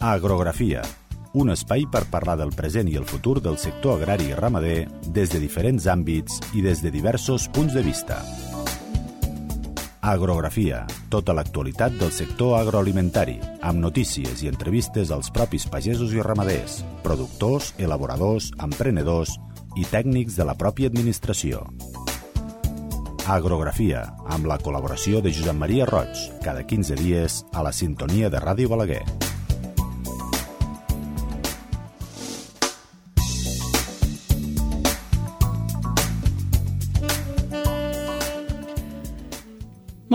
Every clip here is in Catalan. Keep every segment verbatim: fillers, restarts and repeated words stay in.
Agrografia, un espai per parlar del present i el futur del sector agrari i ramader des de diferents àmbits i des de diversos punts de vista. Agrografia, tota l'actualitat del sector agroalimentari, amb notícies i entrevistes als propis pagesos i ramaders, productors, elaboradors, emprenedors i tècnics de la pròpia administració. Agrografia, amb la col·laboració de Josep Maria Roig, cada quinze dies a la sintonia de Ràdio Balaguer.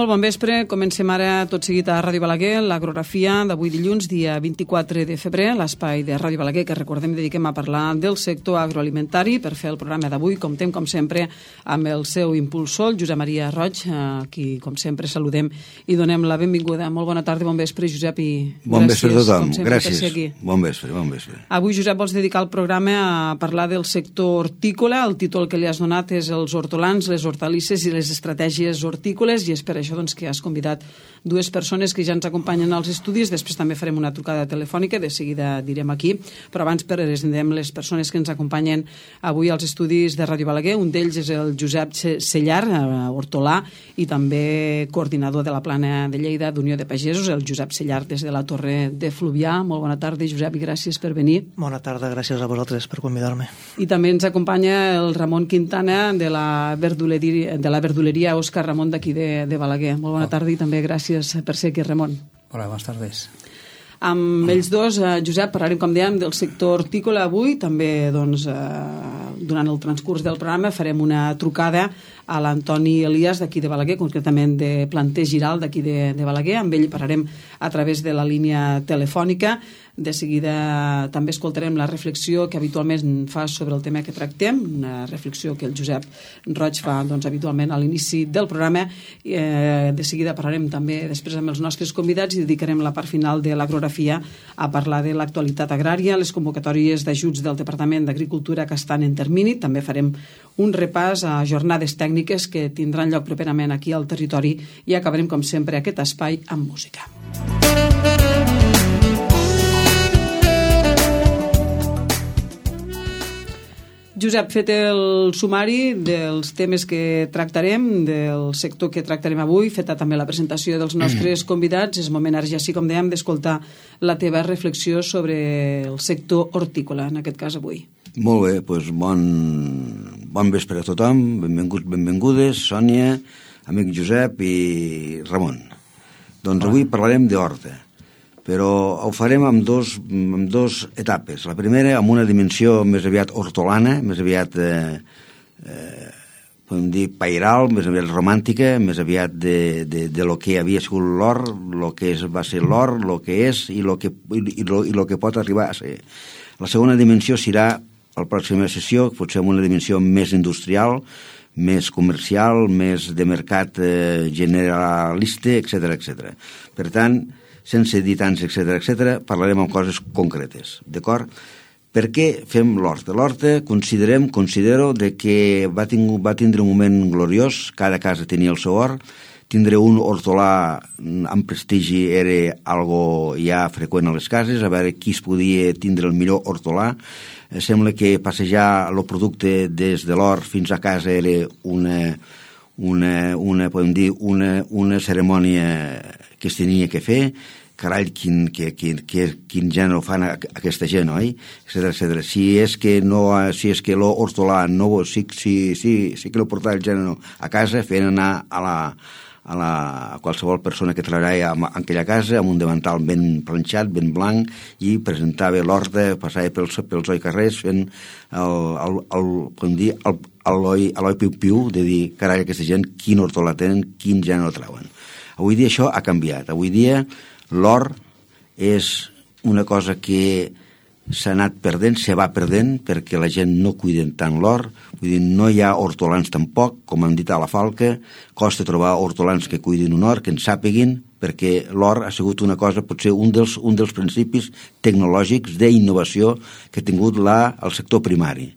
Molt bon vespre, comencem ara tot seguit a Ràdio Balaguer, l'agrografia d'avui dilluns, dia vint-i-quatre de febrer, l'espai de Ràdio Balaguer que recordem dediquem a parlar del sector agroalimentari. Per fer el programa d'avui comptem com sempre amb el seu impulsor, Josep Maria Roig, a qui com sempre saludem i donem la benvinguda. Molt bona tarda, bon vespre Josep i bon gràcies, vespre a tothom, sempre, gràcies, per ser aquí. Bon vespre, bon vespre. Avui Josep vols dedicar el programa a parlar del sector hortícola, el títol que li has donat és els hortolans, les hortalisses i les estratègies hortícoles i és per això doncs, que has convidat dues persones que ja ens acompanyen als estudis. Després també farem una trucada telefònica, de seguida direm aquí, però abans presentem les persones que ens acompanyen avui als estudis de Ràdio Balaguer. Un d'ells és el Josep Sellar, hortolà i també coordinador de la plana de Lleida d'Unió de Pagesos, el Josep Sellar des de la Torre de Fluvià. Molt bona tarda, Josep, i gràcies per venir. Bona tarda, gràcies a vosaltres per convidar-me. I també ens acompanya el Ramon Quintana de la verduleria, de la verduleria Òscar Ramon d'aquí de, de Balaguer. Molt bona tarda i també gràcies per ser aquí, Ramon. Hola, bones tardes. Amb ells dos, eh, Josep, parlarem, com dèiem, del sector hortícola avui. També, doncs, eh, durant el transcurs del programa farem una trucada a l'Antoni Elias d'aquí de Balaguer, concretament de Planter Giral d'aquí de, de Balaguer. Amb ell parlarem a través de la línia telefònica. De seguida també escoltarem la reflexió que habitualment fa sobre el tema que tractem, una reflexió que el Josep Roig fa doncs, habitualment a l'inici del programa. Eh, de seguida parlarem també després amb els nostres convidats i dedicarem la part final de l'agrografia a parlar de l'actualitat agrària, les convocatòries d'ajuts del Departament d'Agricultura que estan en termini. També farem un repàs a jornades tècniques que tindran lloc properament aquí al territori i acabarem, com sempre, aquest espai amb música. Josep, fet el sumari dels temes que tractarem, del sector que tractarem avui, feta també la presentació dels nostres convidats, és moment ara ja sí, com dèiem, d'escoltar la teva reflexió sobre el sector hortícola, en aquest cas avui. Molt bé, doncs bon, bon vespre a tothom, benvinguts, benvingudes, Sònia, amic Josep i Ramon. Doncs avui parlarem d'horta, però ho farem amb dos, amb dos etapes. La primera amb una dimensió més aviat hortolana, més aviat eh, eh, podem dir pairal, més aviat romàntica, més aviat de, de, de lo que havia sigut l'or, lo que és, va ser l'or, lo que és i lo que, i, lo, i lo que pot arribar a ser. La segona dimensió serà a la pròxima sessió, potser amb una dimensió més industrial, més comercial, més de mercat eh, generalista, etcètera, etcètera. Per tant, sense dir tants, etcètera, etcètera, parlarem amb coses concretes, d'acord? Per què fem l'horta? L'horta considerem, considero de que va, tinc, va tindre un moment gloriós, cada casa tenia el seu hort, tindre un hortolà amb prestigi era algo ja freqüent a les cases, a veure qui es podia tindre el millor hortolà. Sembla que passejar el producte des de l'hort fins a casa era una, una, una podem dir, una, una cerimònia que es tenia que fer. Carai, quin, que, quin, que, quin gènere fan aquesta gent, oi? Etcètera, etcètera. Si és que no, si és que l'hortolà no, sí, sí, sí, sí que lo portava el gènere a casa, feien anar a la, a la a qualsevol persona que treballava en aquella casa amb un davantal ben planxat, ben blanc, i presentava l'horta, passava pels, pels oi carrers fent el, el, el, com dir, el, l'oi, l'oi piu-piu, de dir, carai, aquesta gent, quin hortolà tenen, quin gènere treuen. Avui dia això ha canviat. Avui dia l'or és una cosa que s'ha anat perdent, se va perdent, perquè la gent no cuida tant l'or, vull dir, no hi ha hortolans tampoc, com han dit a la Falca, costa trobar hortolans que cuidin un hort, que en sàpiguin, perquè l'or ha sigut una cosa, potser un dels, un dels principis tecnològics d'innovació que ha tingut la, el sector primari.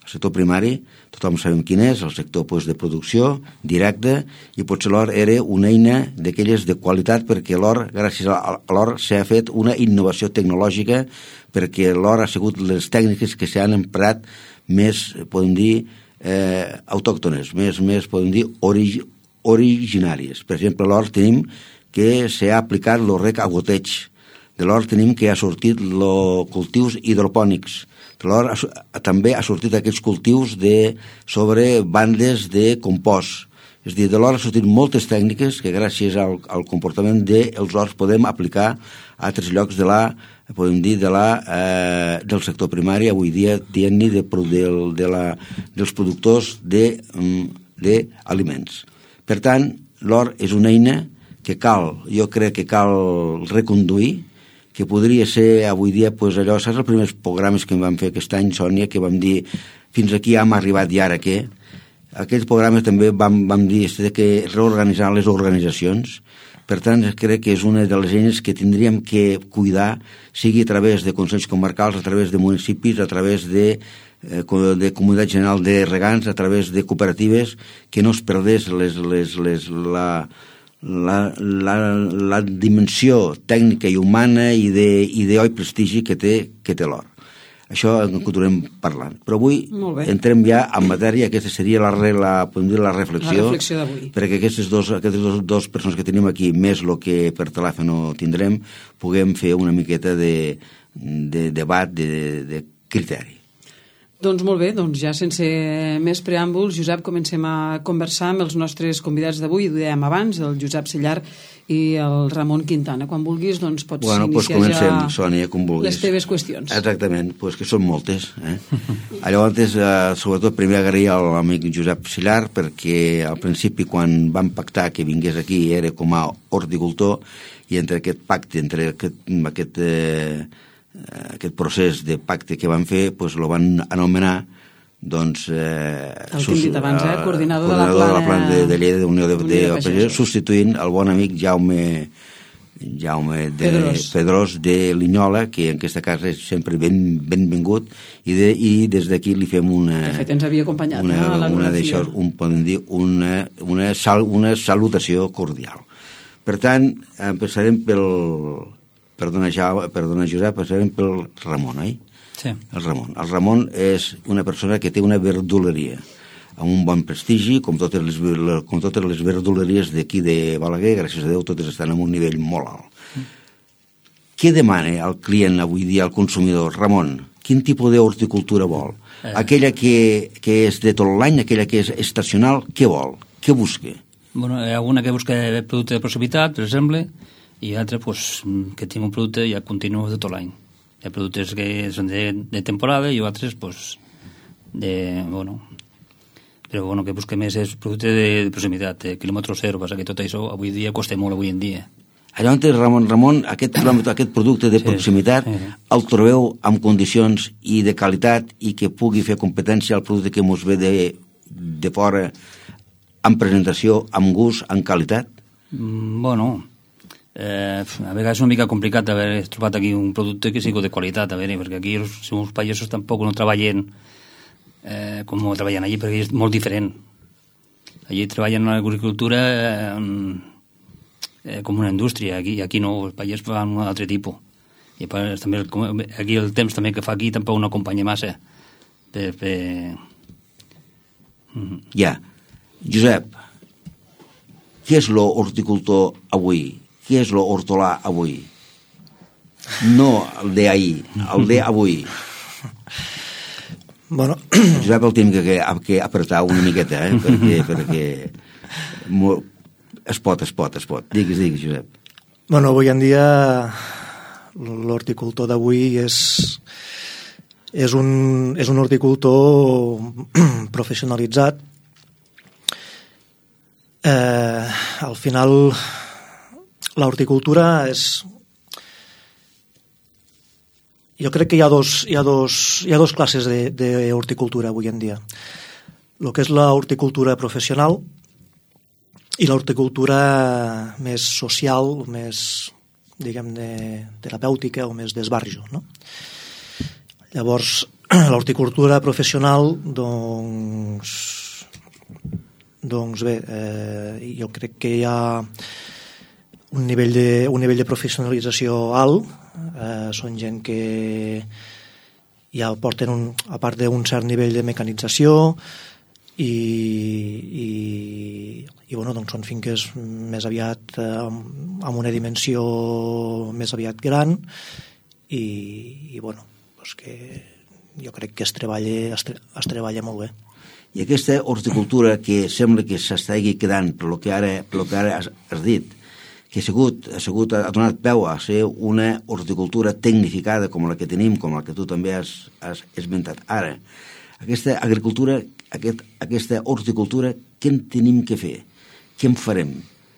El sector primari, tothom sabem quin és, el sector pues, de producció directa, i potser l'or era una eina d'aquelles de qualitat, perquè l'or, gràcies a l'or, s'ha fet una innovació tecnològica, perquè l'or ha sigut les tècniques que s'han emprat més, podem dir, eh, autòctones, més, més podem dir, orig, originàries. Per exemple, l'or tenim que s'ha aplicat el rec a goteig. De l'or tenim que ha sortit els cultius hidropònics. De l'or també ha sortit aquests cultius de, sobre bandes de compost. És a dir, de l'or ha sortit moltes tècniques que gràcies al, al comportament dels horts podem aplicar a altres llocs de la, podem dir, de la, eh, del sector primari, avui dia dient-ne de, de, de la, dels productors d'aliments. Per tant, l'or és una eina que cal, jo crec que cal reconduir, que podria ser avui dia pues, allò, saps els primers programes que vam fer aquest any, Sònia, que vam dir fins aquí hem arribat i ara què? Aquests programes també vam, vam dir que reorganitzar les organitzacions. Per tant, crec que és una de les eines que tindríem que cuidar, sigui a través de consells comarcals, a través de municipis, a través de, eh, de comunitat general de regants, a través de cooperatives, que no es perdés les, les, les, la, la, la, la dimensió tècnica i humana i d'oi prestigi que té, que té l'or. Això en continuem parlant. Però avui entrem ja en matèria, aquesta seria la, la, dir, la reflexió, la reflexió d'avui. Perquè aquestes dos, aquestes dos, dos persones que tenim aquí, més el que per telèfon tindrem, puguem fer una miqueta de, de debat, de, de criteri. Doncs molt bé, doncs ja sense més preàmbuls, Josep, comencem a conversar amb els nostres convidats d'avui, ho dèiem abans, el Josep Sellar i el Ramon Quintana. Quan vulguis, doncs pots bueno, iniciar pues comencem, ja Sònia, com vulguis. Les teves qüestions. Exactament, pues que són moltes. Eh? Llavors, eh, sobretot, primer agrair a l'amic Josep Sellar, perquè al principi, quan vam pactar que vingués aquí, era com a horticultor, i entre aquest pacte, entre aquest, aquest eh, aquest procés de pacte que van fer, doncs el van anomenar doncs, eh, el que hem dit abans, eh? coordinador, coordinador de la plana, de, la plana de, de Lleida d'Unió de, de, de, de Pagesos, substituint el bon amic Jaume Jaume de Pedrós. Pedrós de Linyola, que en aquesta casa és sempre ben, benvingut, i, de, i des d'aquí li fem una... De fet, ens havia acompanyat una, no, a la una d'això, un, podem dir, una, una, sal, una salutació cordial. Per tant, empezarem pel... Perdona, ja, perdona Josep, passarem pel Ramon, oi? Sí. El Ramon. El Ramon és una persona que té una verduleria amb un bon prestigi, com totes les, com totes les verduleries d'aquí de Balaguer, gràcies a Déu, totes estan en un nivell molt alt. Mm. Què demana el client avui dia, el consumidor? Ramon, quin tipus d'horticultura vol? Eh. Aquella que, que és de tot l'any, aquella que és estacional, què vol? Què busca? Bueno, hi ha alguna que busca producte de proximitat, per exemple, i altres pues, que tinc un producte ja continu de tot l'any. Hi ha productes que són de, de temporada i altres pues, de, bueno, però bueno, que busca més és producte de, de proximitat, de quilòmetre zero, passa que tot això avui dia costa molt avui en dia. Llavors, Ramon, Ramon aquest, aquest producte de proximitat sí, sí. el trobeu amb condicions i de qualitat i que pugui fer competència al producte que mos ve de, de fora amb presentació, amb gust, amb qualitat? Mm, bueno... Eh, a vegades és una mica complicat haver trobat aquí un producte que sigui de qualitat, a veure, perquè aquí els, els pagesos tampoc no treballen eh, com treballen allí, perquè és molt diferent. Allí treballen en l'agricultura eh, eh, com una indústria, aquí, aquí no, els pagesos fan un altre tipus. I part, també, aquí el temps també que fa aquí tampoc no acompanya massa. Per, per... Mm-hmm. Ja. Josep, què és l'horticultor avui? Què és l'hortolà avui? No el d'ahir, el d'avui. Bueno... Josep el tenim que, que apretar una miqueta, eh? perquè, perquè es pot, es pot, es pot. Digues, digues, Josep. Bueno, avui en dia l'horticultor d'avui és, és, un, és un horticultor professionalitzat. Eh, al final... La horticultura és... Jo crec que hi ha dos, hi ha dos, hi ha dos classes d'horticultura avui en dia. El que és la horticultura professional i l'horticultura més social, més, diguem, de terapèutica o més d'esbarjo, no? Llavors, l'horticultura professional, doncs, doncs bé, eh, jo crec que hi ha un nivell de, un nivell de professionalització alt, eh, són gent que ja porten, un, a part d'un cert nivell de mecanització, i, i, i bueno, doncs són finques més aviat eh, amb, amb una dimensió més aviat gran, i, i bueno, doncs que jo crec que es treballa, es, tre, es treballa molt bé. I aquesta horticultura que sembla que s'estigui quedant per lo que ara, per lo que ara has, has dit, que ha sigut, ha sigut, ha donat peu a ser una horticultura tecnificada com la que tenim, com la que tu també has, has esmentat ara. Aquesta agricultura, aquest, aquesta horticultura, què en tenim que fer? Què en farem?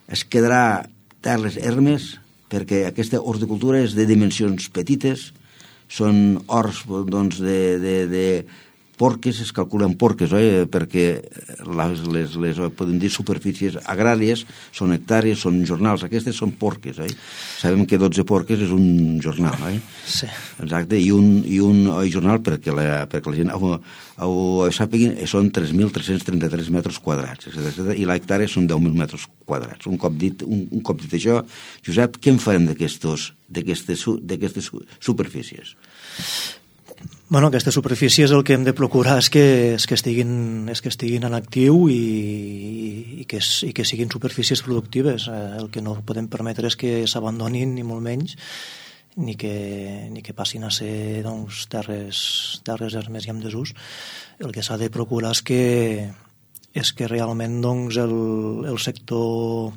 Es quedarà terres ermes? Perquè aquesta horticultura és de dimensions petites, són horts doncs, de, de, de porques, es calculen porques, oi? Perquè les, les, les, podem dir, superfícies agràries són hectàrees, són jornals, aquestes són porques, oi? Sabem que dotze porques és un jornal, oi? Sí. Exacte, i un, i un oi, jornal perquè la, perquè la gent ho, ho, ho sàpiguin, són tres mil tres-cents trenta-tres metres quadrats, etcètera, etcètera, i l'hectàrea són deu mil metres quadrats. Un cop dit, un, un cop dit això, Josep, què en farem d'aquestes d'aquestes superfícies? Bueno, aquestes superfícies el que hem de procurar és que, és que, estiguin, és que estiguin en actiu i, i, que, i que siguin superfícies productives. El que no podem permetre és que s'abandonin, ni molt menys, ni que, ni que passin a ser doncs, terres, terres ermes i amb desús. El que s'ha de procurar és que, és que realment doncs, el, el sector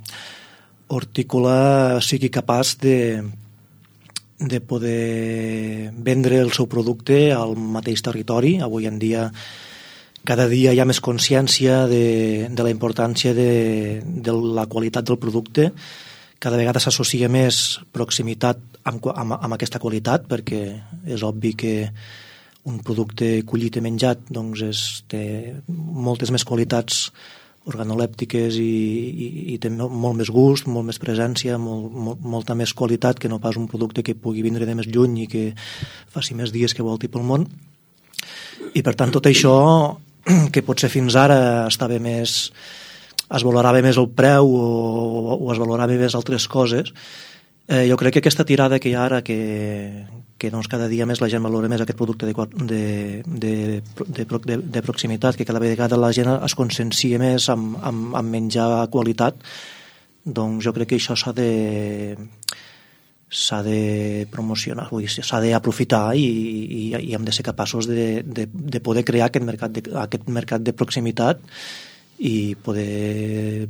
hortícola sigui capaç de de poder vendre el seu producte al mateix territori. Avui en dia, cada dia hi ha més consciència de, de la importància de, de la qualitat del producte. Cada vegada s'associa més proximitat amb, amb, amb aquesta qualitat, perquè és obvi que un producte collit i menjat doncs és, té moltes més qualitats organolèptiques i, i, i té molt més gust, molt més presència, molt, molt, molta més qualitat que no pas un producte que pugui vindre de més lluny i que faci més dies que volti pel món. I per tant tot això, que potser fins ara estava més, es valorava més el preu o, o es valorava més altres coses, eh, jo crec que aquesta tirada que hi ha ara, que, que doncs cada dia més la gent valora més aquest producte de, de, de, de, de, de proximitat, que cada vegada la gent es consciencia més amb, amb, amb menjar qualitat, doncs jo crec que això s'ha de s'ha de promocionar, vull dir, s'ha d'aprofitar i, i, i hem de ser capaços de, de, de poder crear aquest mercat de, aquest mercat de proximitat i poder...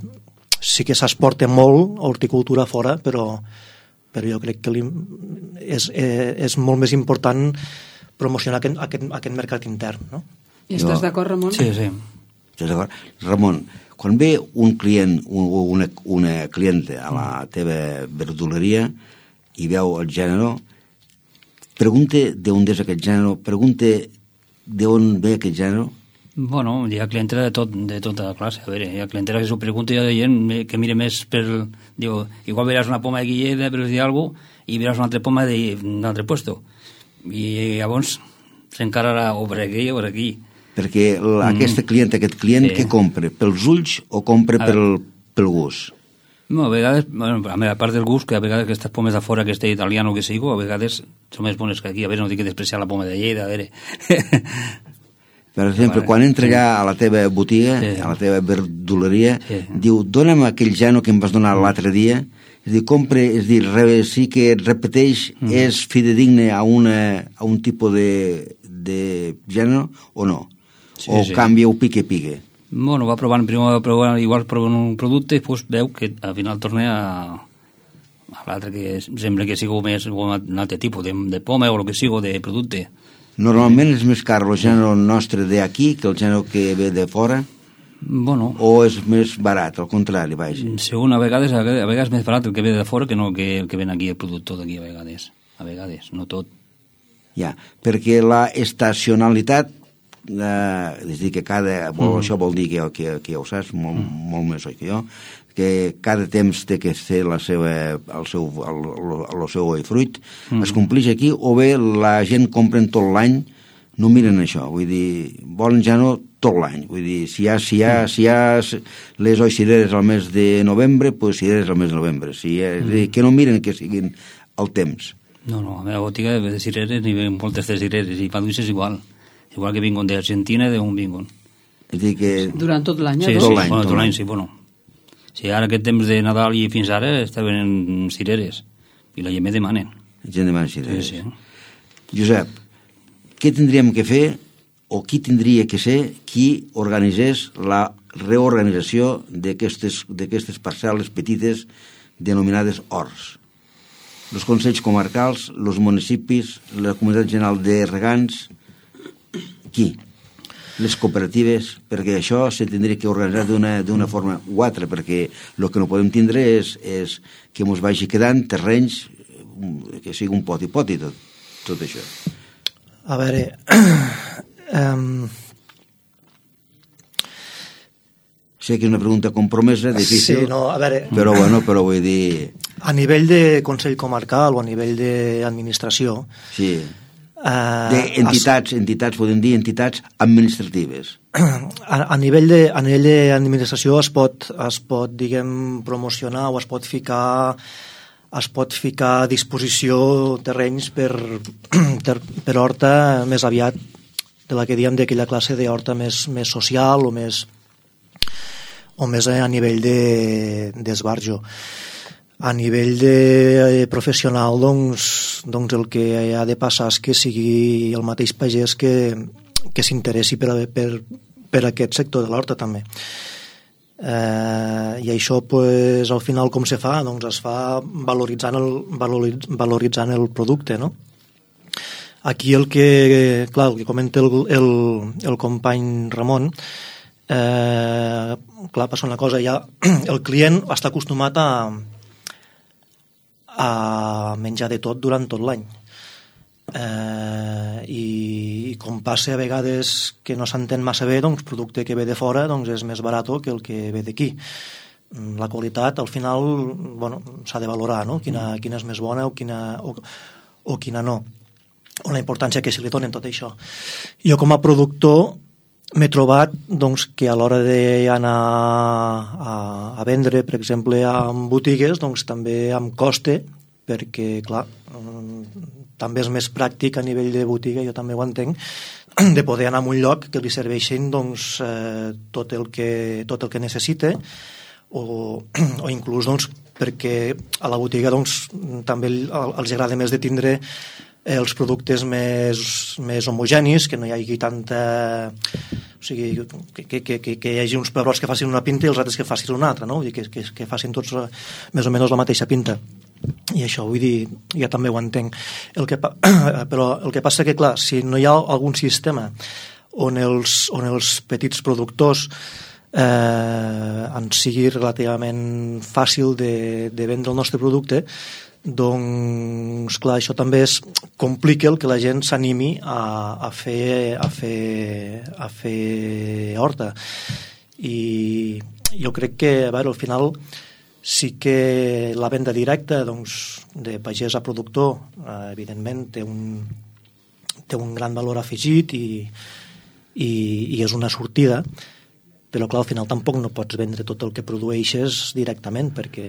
Sí que s'exporta molt horticultura fora, però però jo crec que és, és molt més important promocionar aquest, aquest, aquest mercat intern, no? I estàs d'acord, Ramon? Sí, sí. Estàs d'acord? Ramon, quan ve un client o una, una clienta a la teva verduleria i veu el gènere, pregunta d'on és aquest gènere, pregunta d'on ve aquest gènere. Bueno, hi ha clientela de, tot, de tota classe. A veure, hi ha clientela que s'ho pregunta i hi ha gent que mira més per... Diu, igual veràs una poma de Guilleda, per dir alguna cosa, i veràs una altra poma d'un altre puesto. I llavors s'encararà o per aquí o per aquí. Perquè la, mm. aquesta clienta, aquest client, sí. Què compra? Pels ulls o compra pel, pel gust? No, a vegades, bueno, a part del gust, que a vegades aquestes pomes de fora, que este italiano que sigo, a vegades són més bones que aquí. A veure, no dic que despreciar la poma de Lleida, a veure... Per exemple, vale. Quan entra allà a la teva botiga, sí. A la teva verduleria, sí. Diu, dona'm aquell gènere que em vas donar l'altre dia, és dir, compre, és dir, sí que et repeteix, mm. És fidedigne a, una, a un tipus de, de gènere o no? Sí, o sí. Canvia o pique-pique? Bueno, va provant, primer va provant, igual provant un producte i després veu que al final torna a, a l'altre que sembla que sigui més un altre tipus de, de poma o el que sigui de producte. Normalment és més car el gènere nostre d'aquí que el gènere que ve de fora? Bueno. O és més barat, al contrari, vaja? Segon, a vegades, a vegades és més barat el que ve de fora que no que el que ven aquí, el productor d'aquí, a vegades. A vegades, no tot. Ja, perquè la estacionalitat, eh, és dir, que cada... Mm. Això vol dir que, que, que ja ho saps, molt, mm. molt més oi que jo, que cada temps té que ser la seva, el seu, el, el, el seu fruit, mm. Es complix aquí, o bé la gent compra tot l'any no miren això, vull dir, volen ja no tot l'any, vull dir, si hi ha, si hi ha, si hi ha les oi cireres al mes de novembre, doncs pues cireres al mes de novembre, si ha, mm. que no miren que siguin el temps. No, no, a la botiga de cireres n'hi ve moltes de cireres, i maduixes igual, igual que vinguin d'Argentina, d'on vinguin. És dir que... Durant tot l'any, sí, eh? Sí, tot l'any, bueno, tot tot l'any, l'any, sí, bueno. Sí, ara aquest temps de Nadal i fins ara estaven en cireres, i la gent me demanen. La gent demana cireres. Sí, sí. Josep, què tindríem que fer o qui tindria que ser qui organitzés la reorganització d'aquestes d'aquestes parcel·les petites denominades horts? Els consells comarcals, els municipis, la comunitat general de regants, qui? Les cooperatives, perquè això se tindria que organitzar d'una d'una forma o altra, perquè el que no podem tindre és, és que ens vagi quedant terrenys que sigui un pot i pot i tot, tot això. A veure, um... sé que és una pregunta compromesa, difícil, sí, no, a veure, però bueno, però vull dir... A nivell de Consell Comarcal o a nivell d'administració... Sí, eh, d'entitats, es... entitats, podem dir entitats administratives. A, a nivell de a nivell d'administració es pot, es pot, diguem, promocionar o es pot ficar... es pot ficar a disposició terrenys per, per, per horta més aviat de la que diem d'aquella classe d'horta més, més social o més, o més a nivell d'esbarjo. A nivell de professional, doncs, doncs el que ha de passar és que sigui el mateix pagès que, que s'interessi per, per, per aquest sector de l'horta també. Eh, i això pues, al final com se fa? Doncs es fa valoritzant el, valoriz, valoritzant el producte, no? Aquí el que, clar, el que comenta el, el, el company Ramon, eh, clar, passa una cosa, ja el client està acostumat a, a menjar de tot durant tot l'any. Eh, i, i com passa a vegades que no s'entén massa bé, doncs producte que ve de fora doncs és més barat que el que ve d'aquí. La qualitat al final bueno, s'ha de valorar, no? Quina, quina és més bona o quina, o, o quina no, o la importància que se li donen tot això. Jo com a productor m'he trobat doncs, que a l'hora d'anar a, a vendre, per exemple, en botigues, doncs també em costa, perquè clar, també és més pràctic a nivell de botiga, jo també ho entenc, de poder anar a un lloc que li serveixin doncs, eh, tot, el que, tot el que necessita, o, o inclús doncs, perquè a la botiga doncs, també els agrada més de tindre els productes més, més homogenis, que no hi hagi tanta... O sigui, que, que, que, que hi hagi uns pebrots que facin una pinta i els altres que facin una altra, no? Vull dir, que, que, que facin tots més o menys la mateixa pinta. I això, vull dir, ja també ho entenc. El que, però el que passa que, clar, si no hi ha algun sistema on els, on els petits productors eh, en sigui relativament fàcil de, de vendre el nostre producte, doncs, clar, això també es complica el que la gent s'animi a, a, fer, a, fer, a fer horta. I jo crec que, a veure, al final sí que la venda directa doncs, de pagès a productor eh, evidentment té un, té un gran valor afegit i, i, i és una sortida, però clar, al final tampoc no pots vendre tot el que produeixes directament perquè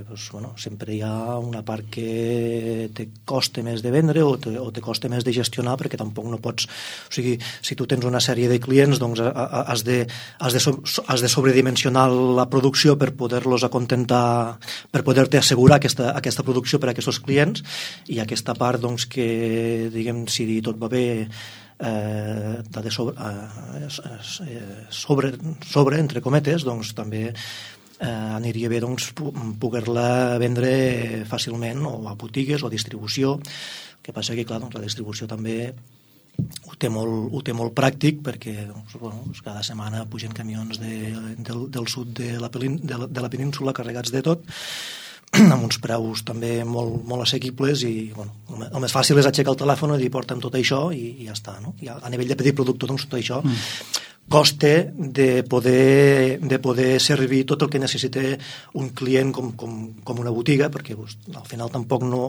doncs, bueno, sempre hi ha una part que te costa més de vendre o te, o te costa més de gestionar perquè tampoc no pots, o sigui, si tu tens una sèrie de clients doncs has de, has de, has de sobredimensionar la producció per poder-los acontentar, per poder-te assegurar aquesta, aquesta producció per a aquests clients i aquesta part doncs que diguem, si tot va bé Eh, de sobre, eh, sobre, sobre, entre cometes, doncs també eh, aniria bé doncs, poder-la vendre fàcilment o a botigues o a distribució. El que passa que clar, doncs, la distribució també ho té molt, ho té molt pràctic perquè doncs, bueno, cada setmana pugen camions de, del, del sud de la, pelín, de, la, de la península carregats de tot amb uns preus també molt, molt assequibles i bueno, el més fàcil és aixecar el telèfon i dir porta'm tot això i, i ja està, no? I a, a nivell de petit productor doncs tot això mm. costa de poder, de poder servir tot el que necessita un client com, com, com una botiga perquè doncs, al final tampoc no,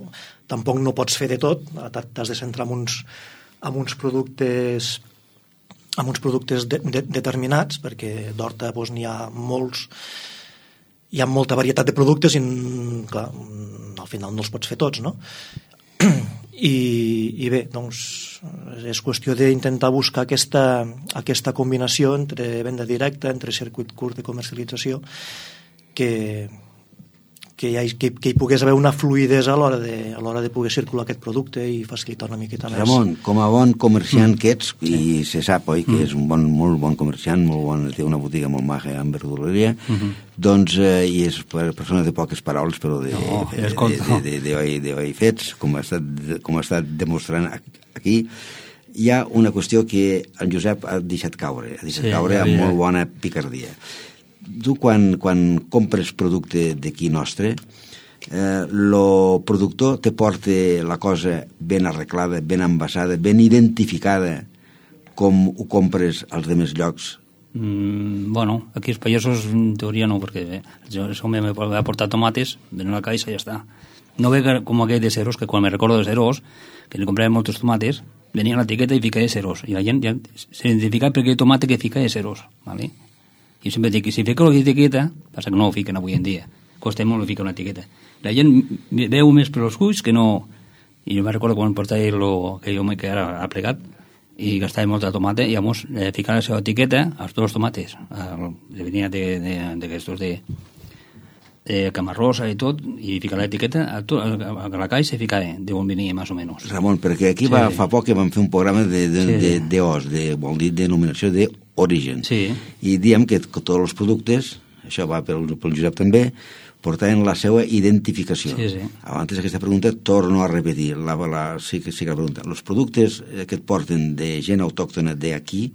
tampoc no pots fer de tot, t'has de centrar en uns, amb uns productes amb uns productes de, de, determinats, perquè d'horta doncs, n'hi ha molts, hi ha molta varietat de productes i clar, al final no els pots fer tots, no? I, i bé, doncs és qüestió d'intentar buscar aquesta, aquesta combinació entre venda directa, entre circuit curt de comercialització, que, que, hi, que, que hi pogués haver una fluidesa a l'hora de, a l'hora de poder circular aquest producte i facilitar una miqueta més. Ramon, com a bon comerciant mm. que ets, i se sap, oi, que mm. és un bon, molt bon comerciant, molt bon, té una botiga molt maja en verduleria, mm-hmm. doncs, eh, i és persona de poques paraules, però de, no, de, de, de, de, de, de, de, de fets, com ha estat, com ha estat demostrant aquí, hi ha una qüestió que en Josep ha deixat caure, ha deixat sí, caure amb molt bona picardia. Tu, quan, quan compres producte d'aquí nostre, eh, lo productor te porta la cosa ben arreglada, ben envasada, ben identificada, com ho compres als demés llocs? Mm, bueno, aquí els pagesos en teoria no, perquè bé, jo me va portar tomates, ven a la caixa i ja està. No ve com aquell de ceros, que quan me recordo de ceros, que li compràvem molts tomates, venia a l'etiqueta i ficava ceros, i la gent ja s'identificava per aquell tomate que ficava ceros, ¿vale? I sempre dic que si fica l'etiqueta, passa que no ho fiquen avui en dia, costa molt ficar una etiqueta. La gent veu més per els ulls que no... I jo me recordo quan portava aquell home que ara ha plegat i gastava molta tomata i llavors eh, ficava la seva etiqueta als dos tomates. El, venia d'aquestos de, de camarrosa i tot, i ficava l'etiqueta a, to, a, a la caixa i ficava d'on venia, més o menys. Ramon, perquè aquí va, sí. fa poc que vam fer un programa de, de, sí. de, de O S, de, vol dir denominació de origen. Sí. I diem que, que tots els productes, això va pel, pel Josep també, portaven la seva identificació. Sí, sí. Abans d'aquesta pregunta torno a repetir, la, la, sí, que, sí que la pregunta. Els productes que et porten de gent autòctona d'aquí,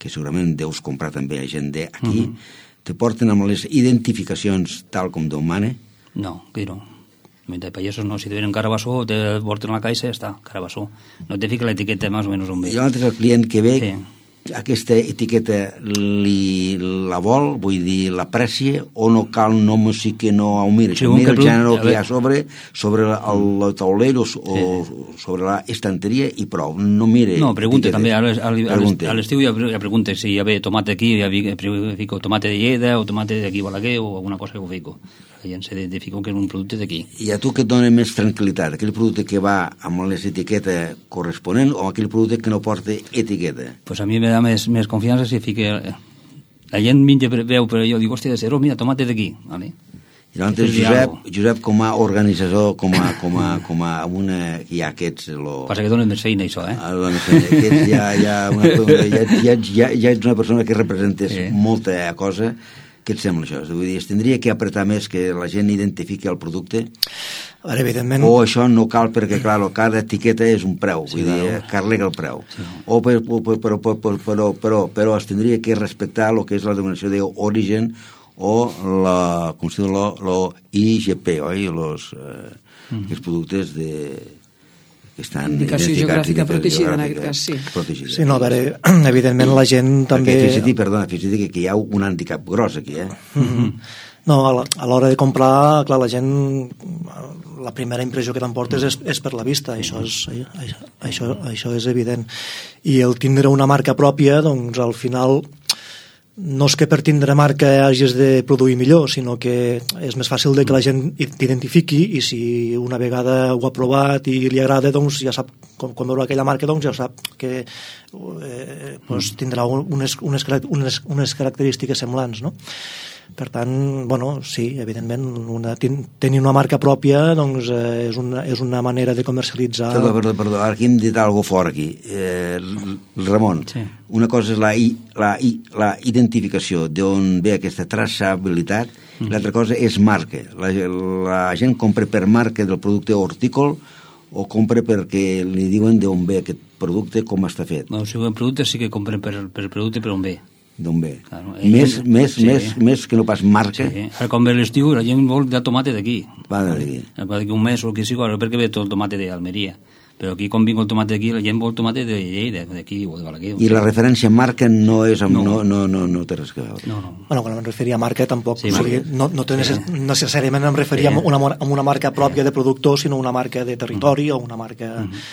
que segurament deus comprar també a gent d'aquí, uh -huh. te porten amb les identificacions tal com Déu mane? No, que no. De pagesos no, si te venen carabassó, te porten a la caixa i ja està, carabassó. No te fica l'etiqueta més o menys on ve. I l'altre és el client que ve... Sí. Aquesta etiqueta li la vol, vull dir, l'aprecia, o no cal, no sí que no ho mira, sí, mira el gènere que hi ha sobre, sobre el, el taulero o sí. sobre la estanteria i prou, no mire... No, pregunta també, a l'estiu ja, ja pregunta si hi ha tomate aquí, ja fico tomate de Lleida o tomate d'aquí Balaguer o alguna cosa que ho fico. La gent s'identifica que és un producte d'aquí. I a tu què et dona més tranquil·litat? Aquell producte que va amb les etiquetes corresponent o aquell producte que no porta etiqueta? Pues a mi me da més, més confiança si fica... La gent menja veu, però jo dic, hòstia, de cero, mira, tomate d'aquí, ¿vale? I llavors, Josep, Josep, com a organitzador, com a, com a, com a una... Hi ha aquests... Lo... Passa que donen més feina, això, eh? Ah, donen feina. Aquests ja, ja, una, ja, ja, ja, ja ets una persona que representes sí. molta cosa. Què et sembla això? Vull dir, es tindria que apretar més que la gent identifiqui el producte? Ara, evidentment... O això no cal perquè, clar, cada etiqueta és un preu, sí, vull dir, carrega el preu. Sí. O per, per, però, però, però, però, però es tindria que respectar el que és la denominació d'origen o la, com si diu, lo I G P, oi? Los, eh, mm. els productes de... estan indicació geogràfica protegida, en aquest cas, sí. Protegida. Sí, no, a veure, evidentment la gent també... Perquè fixa't, perdona, fixa't que, que hi ha un handicap gros aquí, eh? Mm-hmm. No, a l'hora de comprar, clar, la gent, la primera impressió que t'emportes és, és per la vista, això és, això, això és evident. I el tindre una marca pròpia, doncs, al final... no és que per tindre marca hagis de produir millor, sinó que és més fàcil de que la gent t'identifiqui i si una vegada ho ha provat i li agrada, doncs ja sap, quan, quan veurà aquella marca, doncs ja sap que eh, doncs tindrà unes, unes, unes, unes característiques semblants, no? Per tant, bueno, sí, evidentment, una, tenir una marca pròpia doncs, eh, és, una, és una manera de comercialitzar... Perdó, perdó, perdó, ara aquí hem dit alguna cosa fort aquí. Eh, Ramon, sí. Una cosa és la, la, la identificació d'on ve aquesta traçabilitat, mm. l'altra cosa és marca. La, la gent compra per marca del producte hortícola o compra perquè li diuen d'on ve aquest producte, com està fet? No, si el producte sí que compren per, per producte per on ve. D'on ve. Claro, més, ell, més, sí. més, més que no pas marca. Sí. Ara quan ve l'estiu la gent vol de tomate d'aquí. Va d'aquí. D'aquí un mes o el que sigui, perquè ve tot el tomate d'Almeria. Però aquí quan vinc el tomate d'aquí, la gent vol tomate de Lleida, d'aquí o de Balaguer. I la referència marca no és amb, no. No, no, no, no té res que veure. No, no. Bueno, quan em referia a marca tampoc, sí, o sigui, no, no té necess... sí. necessàriament em referia sí. a, una, a una marca pròpia sí. de productor, sinó una marca de territori mm. o una marca... Mm.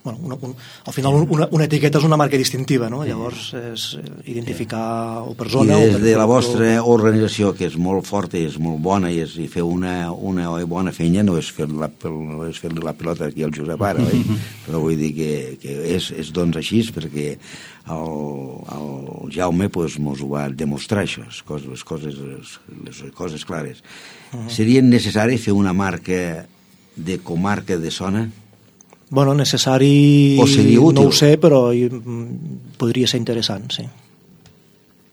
bueno, una, un, al final una, una etiqueta és una marca distintiva, no? Llavors és identificar o per zona... I des o per de la productor. vostra organització, que és molt forta i és molt bona i, és, i feu una, una bona feina, no és fer-li la, no és fer la pilota aquí al Josep ara, oi? Però vull dir que, que és, és doncs així, perquè el, el Jaume pues, mos ho va demostrar, això, les coses, les coses, les coses clares. Uh -huh. Seria necessari fer una marca de comarca de zona? Bueno, necessari o seria útil? No ho sé, però podria ser interessant, sí.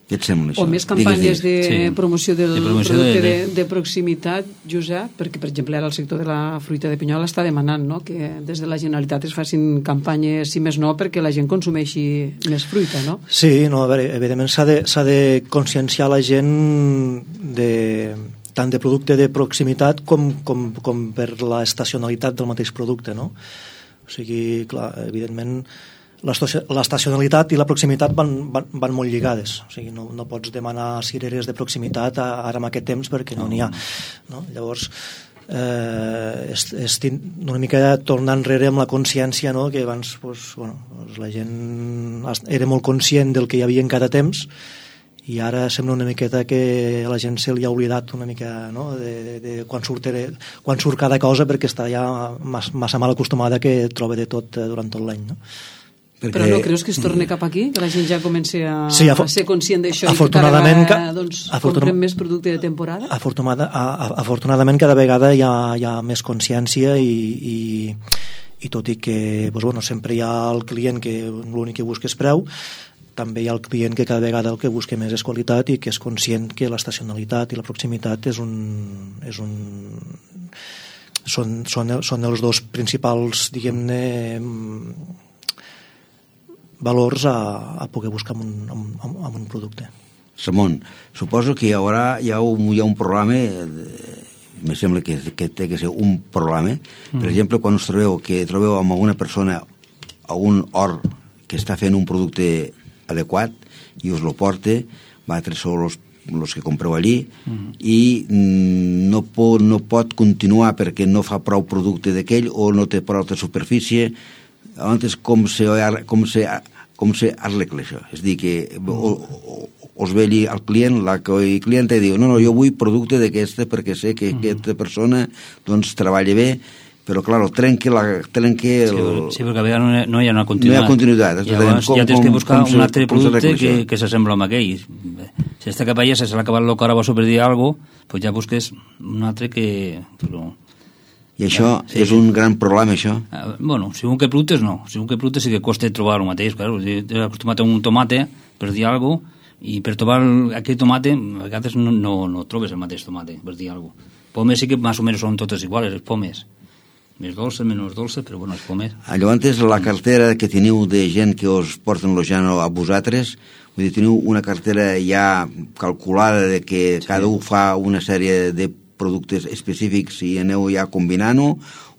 Què et sembla això? O més campanyes de Sí. promoció del De promoció producte de- de, de proximitat, Josep, perquè, per exemple, ara el sector de la fruita de pinyol està demanant, no?, que des de la Generalitat es facin campanyes, si més no, perquè la gent consumeixi més fruita, no? Sí, no, a veure, evidentment s'ha de, s'ha de conscienciar la gent de, tant de producte de proximitat com, com, com per l'estacionalitat del mateix producte, no? O sigui, clar, evidentment l'estacionalitat i la proximitat van, van, van molt lligades, o sigui, no, no pots demanar cireres de proximitat ara en aquest temps perquè no n'hi ha, no? Llavors eh, és, és una mica tornar enrere amb la consciència, no? Que abans pues, bueno, pues la gent era molt conscient del que hi havia en cada temps i ara sembla una miqueta que a la gent se li ha oblidat una mica, no? de, de, de quan, surt, quan surt cada cosa, perquè està ja massa mal acostumada que troba de tot durant tot l'any, no? Perquè... Però no creus que es torni cap aquí? Que la gent ja comenci a, sí, a ser conscient d'això i que cada vegada doncs, afortun... comprem més producte de temporada? Afortunada, a, a, afortunadament cada vegada hi ha, hi ha més consciència i, i, i tot i que doncs, bueno, sempre hi ha el client que l'únic que busca és preu, també hi ha el client que cada vegada el que busca més és qualitat i que és conscient que l'estacionalitat i la proximitat és un, és un són, són, són els dos principals, diguem-ne, valors a, a poder buscar en un, en, en un producte. Ramon, suposo que hi haurà hi ha un, hi ha un programa, me sembla que, que té que ser un programa, mm. per exemple, quan us trobeu que trobeu amb alguna persona a un hort que està fent un producte adequat i us lo porta, vosaltres sou els, els que compreu allí mm. i no pot, no pot continuar perquè no fa prou producte d'aquell o no té prou de superfície. Antes com se, com se, com se arregla això? És dir, que o, o, us ve allí el client, la el client diu, no, no, jo vull producte d'aquesta perquè sé que mm. aquesta persona doncs treballa bé, però, clar, trenca la... Trenca el... sí, sí, perquè a vegades no, no hi ha una continuïtat. No hi ha continuïtat. Llavors com, ja tens que buscar com, un altre producte que, que s'assembla amb aquell. Si està cap allà, se l'ha acabat el carabasso per dir alguna cosa, doncs ja busques un altre que... Però... I això ja, sí, és un gran problema, això? Uh, bueno, segons què productes no. Segons què productes sí que costa trobar el mateix. Claro. T'he acostumat a un tomate, per dir alguna cosa, i per trobar aquell tomate, a vegades no, no, no trobes el mateix tomate, per dir alguna cosa. Pomes sí que més o menys són totes iguals, les pomes. Més dolces, menys dolces, però bueno, les pomes. Llavors, la cartera que teniu de gent que us porten lo llano a vosaltres, vull dir, teniu una cartera ja calculada de que sí. Cada un fa una sèrie de productes específics i aneu ja combinant-ho,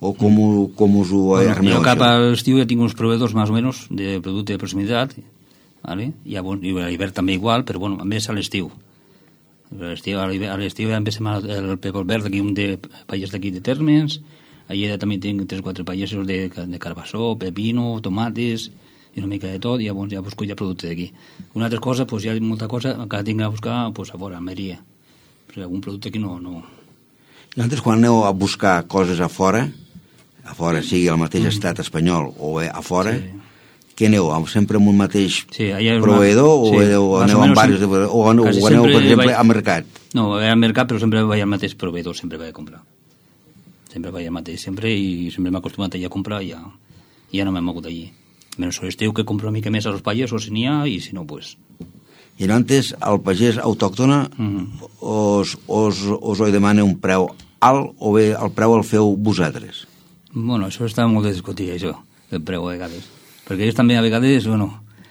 o com, com us ho bueno, armeu? Jo cap a l'estiu ja tinc uns proveedors més o menys de producte de proximitat, ¿vale? I a l'hivern també igual, però bueno, a més a l'estiu. A l'estiu ja empecem el pepol verd, aquí un de pallers d'aquí de Termes, allà també tinc tres o quatre pallesos de, de carbassó, pepino, tomates i una mica de tot, i llavors ja busco ja producte d'aquí. Una altra cosa, doncs hi ha molta cosa que tinc a buscar pues, a fora, a Meria, perquè algun producte aquí no... no... Nosaltres quan aneu a buscar coses a fora, a fora sigui el mateix mm. estat espanyol o a fora, sí. Què aneu? Sempre amb un mateix sí, proveïdor una... o sí, aneu, aneu amb diversos de... o aneu, o aneu per exemple, vaig... al mercat? No, al mercat, però sempre vaig al mateix proveïdor, sempre vaig a comprar. Sempre vaig al mateix, sempre, i sempre m'he acostumat a ir a comprar i ja, ja no m'he mogut allí. Menys l'estiu que compro una mica més a los pagesos si n'hi ha, i si no, pues... I antes el pagès autòctona mm-hmm. us, us, us ho demana un preu alt o bé el preu el feu vosaltres? Bueno, això està molt de discutir, això, el preu a vegades. Perquè ells també a vegades, bueno...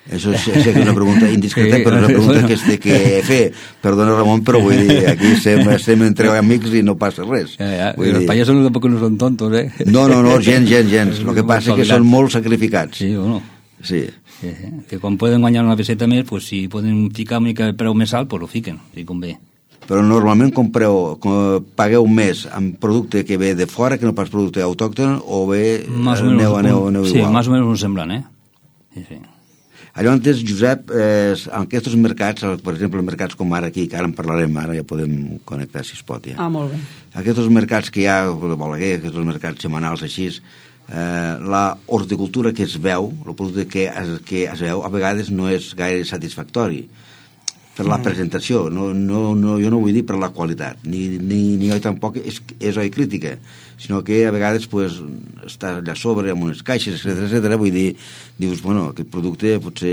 Això és, és una pregunta indiscreta, però una pregunta bueno. que es té que fer. Perdona, Ramon, però vull dir, aquí estem, estem entre amics i no passa res. Ja, ja. Vull los dir... payasos tampoc no són tontos, eh? No, no, no, gens, gens, gens. El que passa és que són molt sacrificats. Sí, bueno. Sí. Sí, sí. Que quan poden guanyar una peseta més, pues, si poden ficar una mica el preu més alt, pues lo fiquen, si convé. però normalment compreu, pagueu més amb producte que ve de fora que no pas producte autòcton, o bé más o aneu, menos, aneu, aneu sí, igual. más o menos un semblant, eh? Sí, sí. Llavors, Josep, eh, en aquests mercats, per exemple, mercats com ara aquí, que ara en parlarem, ara ja podem connectar si es pot, ja. Ah, molt bé. Aquests mercats que hi ha, de Balaguer, aquests mercats setmanals així, eh, la horticultura que es veu, el producte que es, que es veu, a vegades no és gaire satisfactori per la presentació, no, no, no, jo no vull dir per la qualitat, ni, ni, ni jo tampoc és, és oi crítica, sinó que a vegades pues, està allà sobre amb unes caixes, etcètera, etcètera, vull dir, dius, bueno, aquest producte potser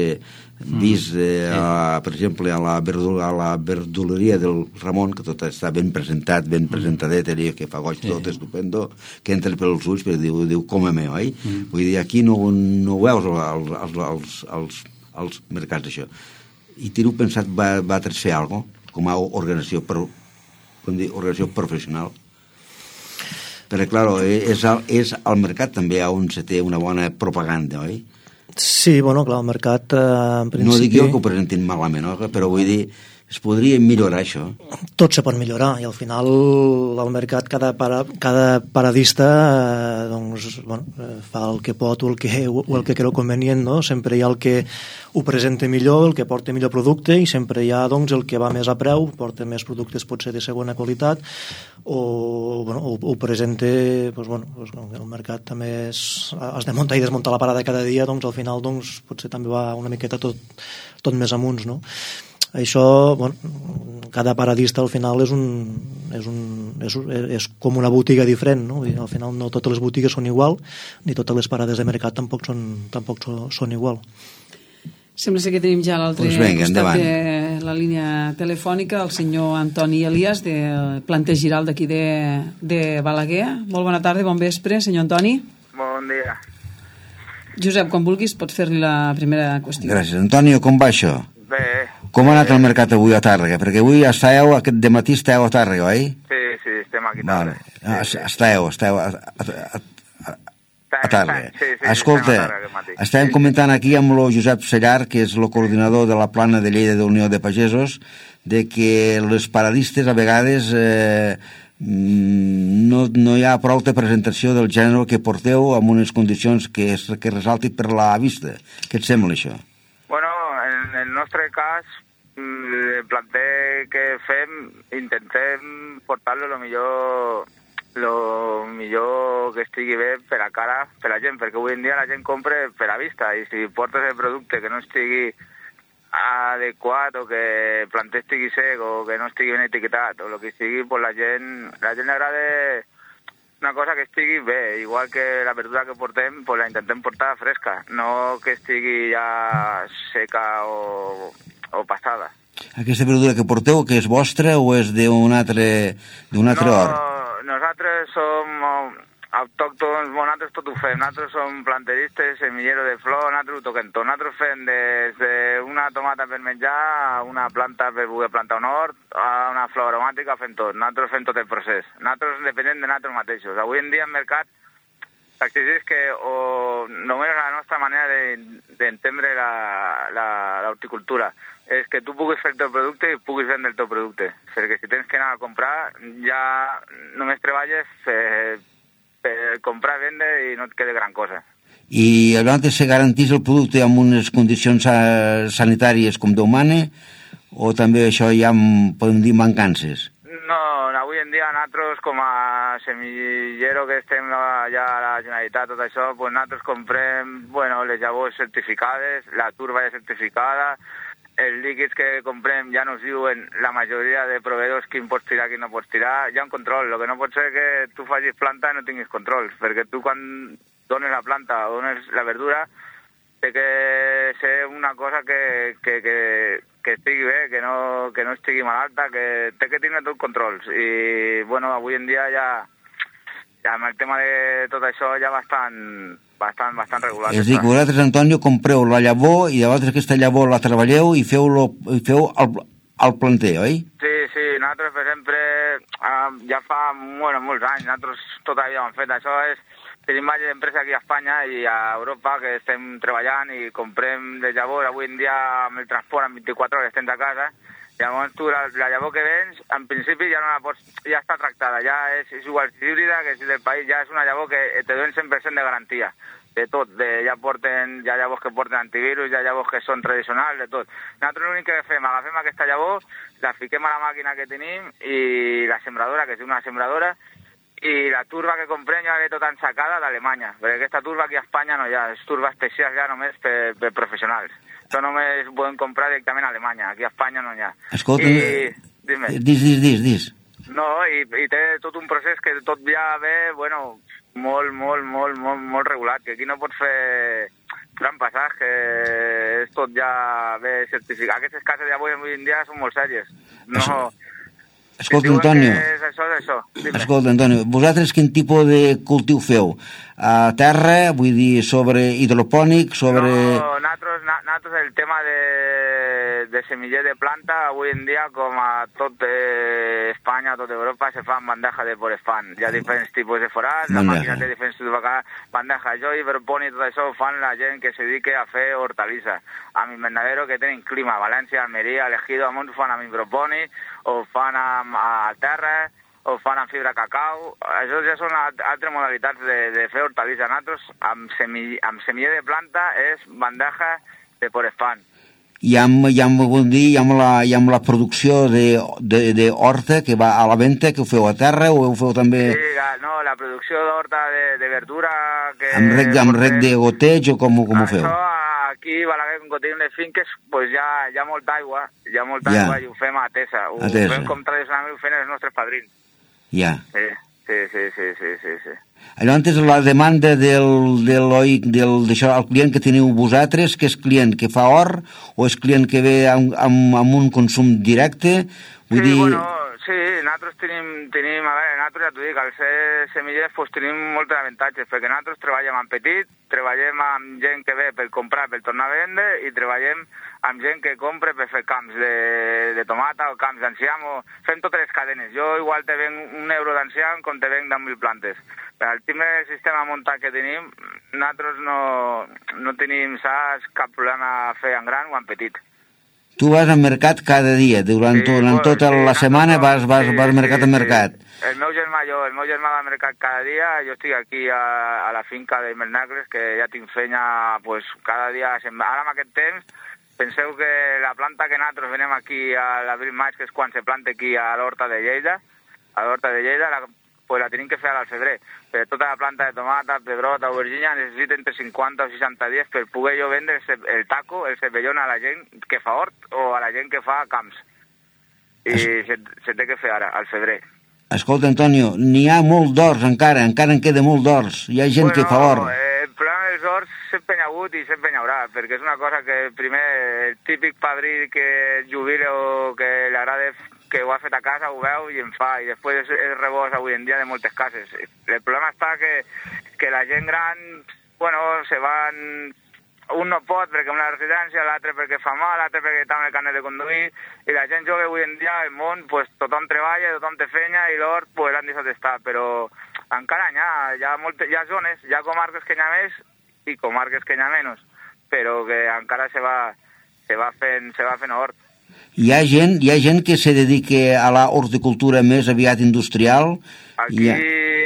vist, eh, a, per exemple, a la, verdul, a la verduleria del Ramon, que tot està ben presentat, ben presentadet, que fa goig tot estupendo, que entra pels ulls, però diu, diu com a meu, oi? Mm. Vull dir, aquí no, no ho veus als, als, als, als, als mercats d'això. I teniu pensat va, va fer alguna cosa com a organització, per, com dir, organització professional? Perquè, clar, és, al, és al mercat també on se té una bona propaganda, oi? Sí, bueno, clar, el mercat, eh, en principi... No dic jo que ho presentin malament, no? Però vull dir, es podria millorar això. Tot se pot millorar, i al final el mercat, cada, para, cada paradista eh, doncs, bueno, fa el que pot o el que, o el que creu convenient, no? Sempre hi ha el que ho presenta millor, el que porta millor producte, i sempre hi ha doncs, el que va més a preu, porta més productes potser de segona qualitat, o, bueno, o, o presenta doncs, bueno, doncs, el mercat també és, has de muntar i desmuntar la parada cada dia, doncs al final doncs, potser també va una miqueta tot, tot més amunts, no? Això, bueno, cada paradista al final és un, és, un, és, és com una botiga diferent, no? Al final no totes les botigues són igual, ni totes les parades de mercat tampoc són, tampoc són igual. Sembla ser que tenim ja a l'altre pues venga, costat endavant. de la línia telefònica el senyor Antoni Elias, de Planter Giral d'aquí de, de Balaguer. Molt bona tarda, bon vespre, senyor Antoni. Bon dia. Josep, quan vulguis pots fer-li la primera qüestió. Gràcies. Antonio, com va això? Bé. Com ha anat el mercat avui a Tàrrega? Perquè avui estàveu, aquest dematí estàveu a Tàrrega, oi? Sí, sí, estem aquí. Vale. Ah, sí, sí. estàveu, estàveu a, a, a, a Tàrrega. Sí, sí, Escolta, estem a Tàrrega aquest matí. estàvem Sí. comentant aquí amb el Josep Sellar, que és el coordinador de la plana de Lleida de Unió de Pagesos, de que les paradistes a vegades eh, no, no hi ha prou de presentació del gènere que porteu amb unes condicions que, es, que resalti per la vista. Què et sembla això? Bueno, en el nostre cas, el planter que fem, intentem portar-lo el millor, lo millor que estigui bé per a cara, per a la gent, perquè avui en dia la gent compra per a vista, i si portes el producte que no estigui adequat, o que el planter estigui sec, o que no estigui ben etiquetat, o el que sigui, pues la gent, la gent li agrada una cosa que estigui bé, igual que la verdura que portem, pues la intentem portar fresca, no que estigui ja seca o, o passada. Aquesta verdura que porteu, que és vostra o és d'un altre, d'un altre no, hort? Nosaltres som autòctons, bueno, nosaltres tot ho fem, nosaltres som planteristes, semillero de flor, nosaltres ho toquem tot, nosaltres fem des d'una tomata per menjar a una planta per poder plantar un hort, a una flor aromàtica, fem tot, nosaltres fem tot el procés, nosaltres depenem de nosaltres mateixos. Avui en dia el mercat s'exigeix que o només la nostra manera d'entendre l'horticultura és que tu puguis fer el teu producte i puguis vendre el teu producte, perquè si tens que anar a comprar ja només treballes per per comprar, vendre i no et queda gran cosa. I abans se garantís el producte amb unes condicions sanitàries com Déu mana, o també això hi ha, podem dir, mancances? No, avui en dia nosaltres com a semillero que estem allà a la Generalitat, tot això, pues nosaltres comprem, bueno, les llavors certificades, la turba ja certificada, els líquids que comprem ja nos diuen la majoria de proveïdors quin pots tirar, quin no pots tirar, hi ha un control. El que no pot ser que tu facis planta i no tinguis control, perquè tu quan dones la planta o dones la verdura té que ser una cosa que, que, que, que estigui bé, que no, que no estigui malalta, que té que tenir tot controls. I, bueno, avui en dia ja, ja amb el tema de tot això ja bastant... bastant, bastant regulat. És a dir, que vosaltres, Antonio, compreu la llavor i llavors aquesta llavor la treballeu i feu, lo, i feu el, el planter, oi? Sí, sí, nosaltres, per exemple, ja fa bueno, molts anys, nosaltres tot això hem fet. Això és, tenim diverses empreses aquí a Espanya i a Europa que estem treballant i comprem de llavors. Avui en dia amb el transport en vint-i-quatre hores estem de casa Llavors tu, la, la llavor que vens, en principi ja no la pots, ja està tractada, ja és, és igual si híbrida que si del país, ja és una llavor que te donen cent per cent de garantia, de tot, de, ja porten, ja llavors que porten antivirus, ja llavors que són tradicionals, de tot. Nosaltres l'únic que fem, agafem aquesta llavor, la fiquem a la màquina que tenim i la sembradora, que és una sembradora, i la turba que comprem ja ve tota ensacada d'Alemanya, perquè aquesta turba aquí a Espanya no hi ha, és turba especial ja només per, per professionals. Això només poden comprar directament a Alemanya, aquí a Espanya no hi ha. Escolta, I, dime. dis, dis, dis, dis. No, i, i té tot un procés que tot ja ve, bueno, molt, molt, molt, molt, molt regulat, que aquí no pots fer gran passatge, que és tot ja ve certificat. Aquestes cases d'avui en dia són molt sèries. No... Això... Escolta, Antonio, és això, és això. escolta, Antonio, vosaltres quin tipus de cultiu feu? A terra, vull dir, sobre hidropònic, sobre... No, nosaltres, nosaltres el tema de, de semiller de planta, avui en dia, com a tot eh, Espanya, tot Europa, se fa en bandeja de porefan. Hi ha diferents tipus de forats, la màquina té diferents tipus de bandeja. Jo, hidropònic, tot això ho fan la gent que se dedica a fer hortalissa. A mi invernadero que tenen clima, València, Almeria, Elegido, a Mont fan amb hidropònic, o fan amb a terra, o fan amb fibra cacau. Això ja són altres modalitats de, de fer hortalissa. Nosaltres, amb, semi, amb semiller de planta, és bandeja de porefan. I amb, i amb, dir, i amb, la, i amb la producció de, de, de horta que va a la venda, que ho feu a terra o ho feu també... Sí, la, no, la producció d'horta de, de verdura... Que amb rec, amb rec de goteig o com, com ho feu? Això, aquí a Balaguer, com que tenim les finques, pues ja hi ha molta aigua, hi ha molta ja. aigua i ho fem a tesa. Ho, a tesa. ho fem com tradicionalment ho fem els nostres padrins. Ja. Sí, sí, sí, sí, sí, sí, sí. Llavors, la demanda del, del, del, d'això, el client que teniu vosaltres, que és client que fa or o és client que ve amb, amb, amb un consum directe? Vull sí, dir... bueno, sí, nosaltres tenim, tenim, a veure, nosaltres ja t'ho dic, al ser semillers pues, tenim molts avantatges, perquè nosaltres treballem amb petit, treballem amb gent que ve per comprar, per tornar a vendre, i treballem amb gent que compra per fer camps de, de tomata o camps d'enciam, o fem totes les cadenes. Jo igual te venc un euro d'enciam com te venc de mil plantes. Per al tipus de sistema muntat que tenim, nosaltres no, no tenim, saps, cap problema a fer en gran o en petit. Tu vas al mercat cada dia, durant, sí, durant bueno, tota sí, la setmana vas, vas, sí, vas mercat sí, a mercat. Sí. El meu germà, jo, el meu germà va al mercat cada dia, jo estic aquí a, a la finca de Mernacles, que ja tinc feina pues, cada dia. Ara en aquest temps, penseu que la planta que nosaltres venem aquí a l'abril-maig, que és quan se planta aquí a l'horta de Lleida, a l'horta de Lleida, la, pues la tenim que fer al febrer. Per tota la planta de tomata, pedrota, aubergina, necessita entre cinquanta o seixanta dies per poder jo vendre el, el taco, el cepellón a la gent que fa hort o a la gent que fa camps. I es... se, se té que fer ara, al febrer. Escolta, Antonio, n'hi ha molt d'horts encara, encara en queda molt d'horts. Hi ha gent bueno, que fa hort. Eh, el problema dels horts sempre hi ha hagut i sempre hi haurà, perquè és una cosa que primer el típic padrí que jubila o que li agrada que ho ha fet a casa, ho veu i en fa, i després és, és rebós avui en dia de moltes cases. El problema està que, que la gent gran, bueno, se van... Un no pot perquè una residència, l'altre perquè fa mal, l'altre perquè està amb el carnet de conduir, i la gent jove avui en dia, el món, pues, tothom treballa, tothom té feina, i l'hort, pues, l'han deixat d'estar, però encara hi ha, hi ha, moltes, hi ha zones, hi ha comarques que hi ha més i comarques que hi ha menys, però que encara se va, se va fent, se va fent hort. Hi ha gent, hi ha gent que se dedica a la horticultura més aviat industrial? Aquí, ha...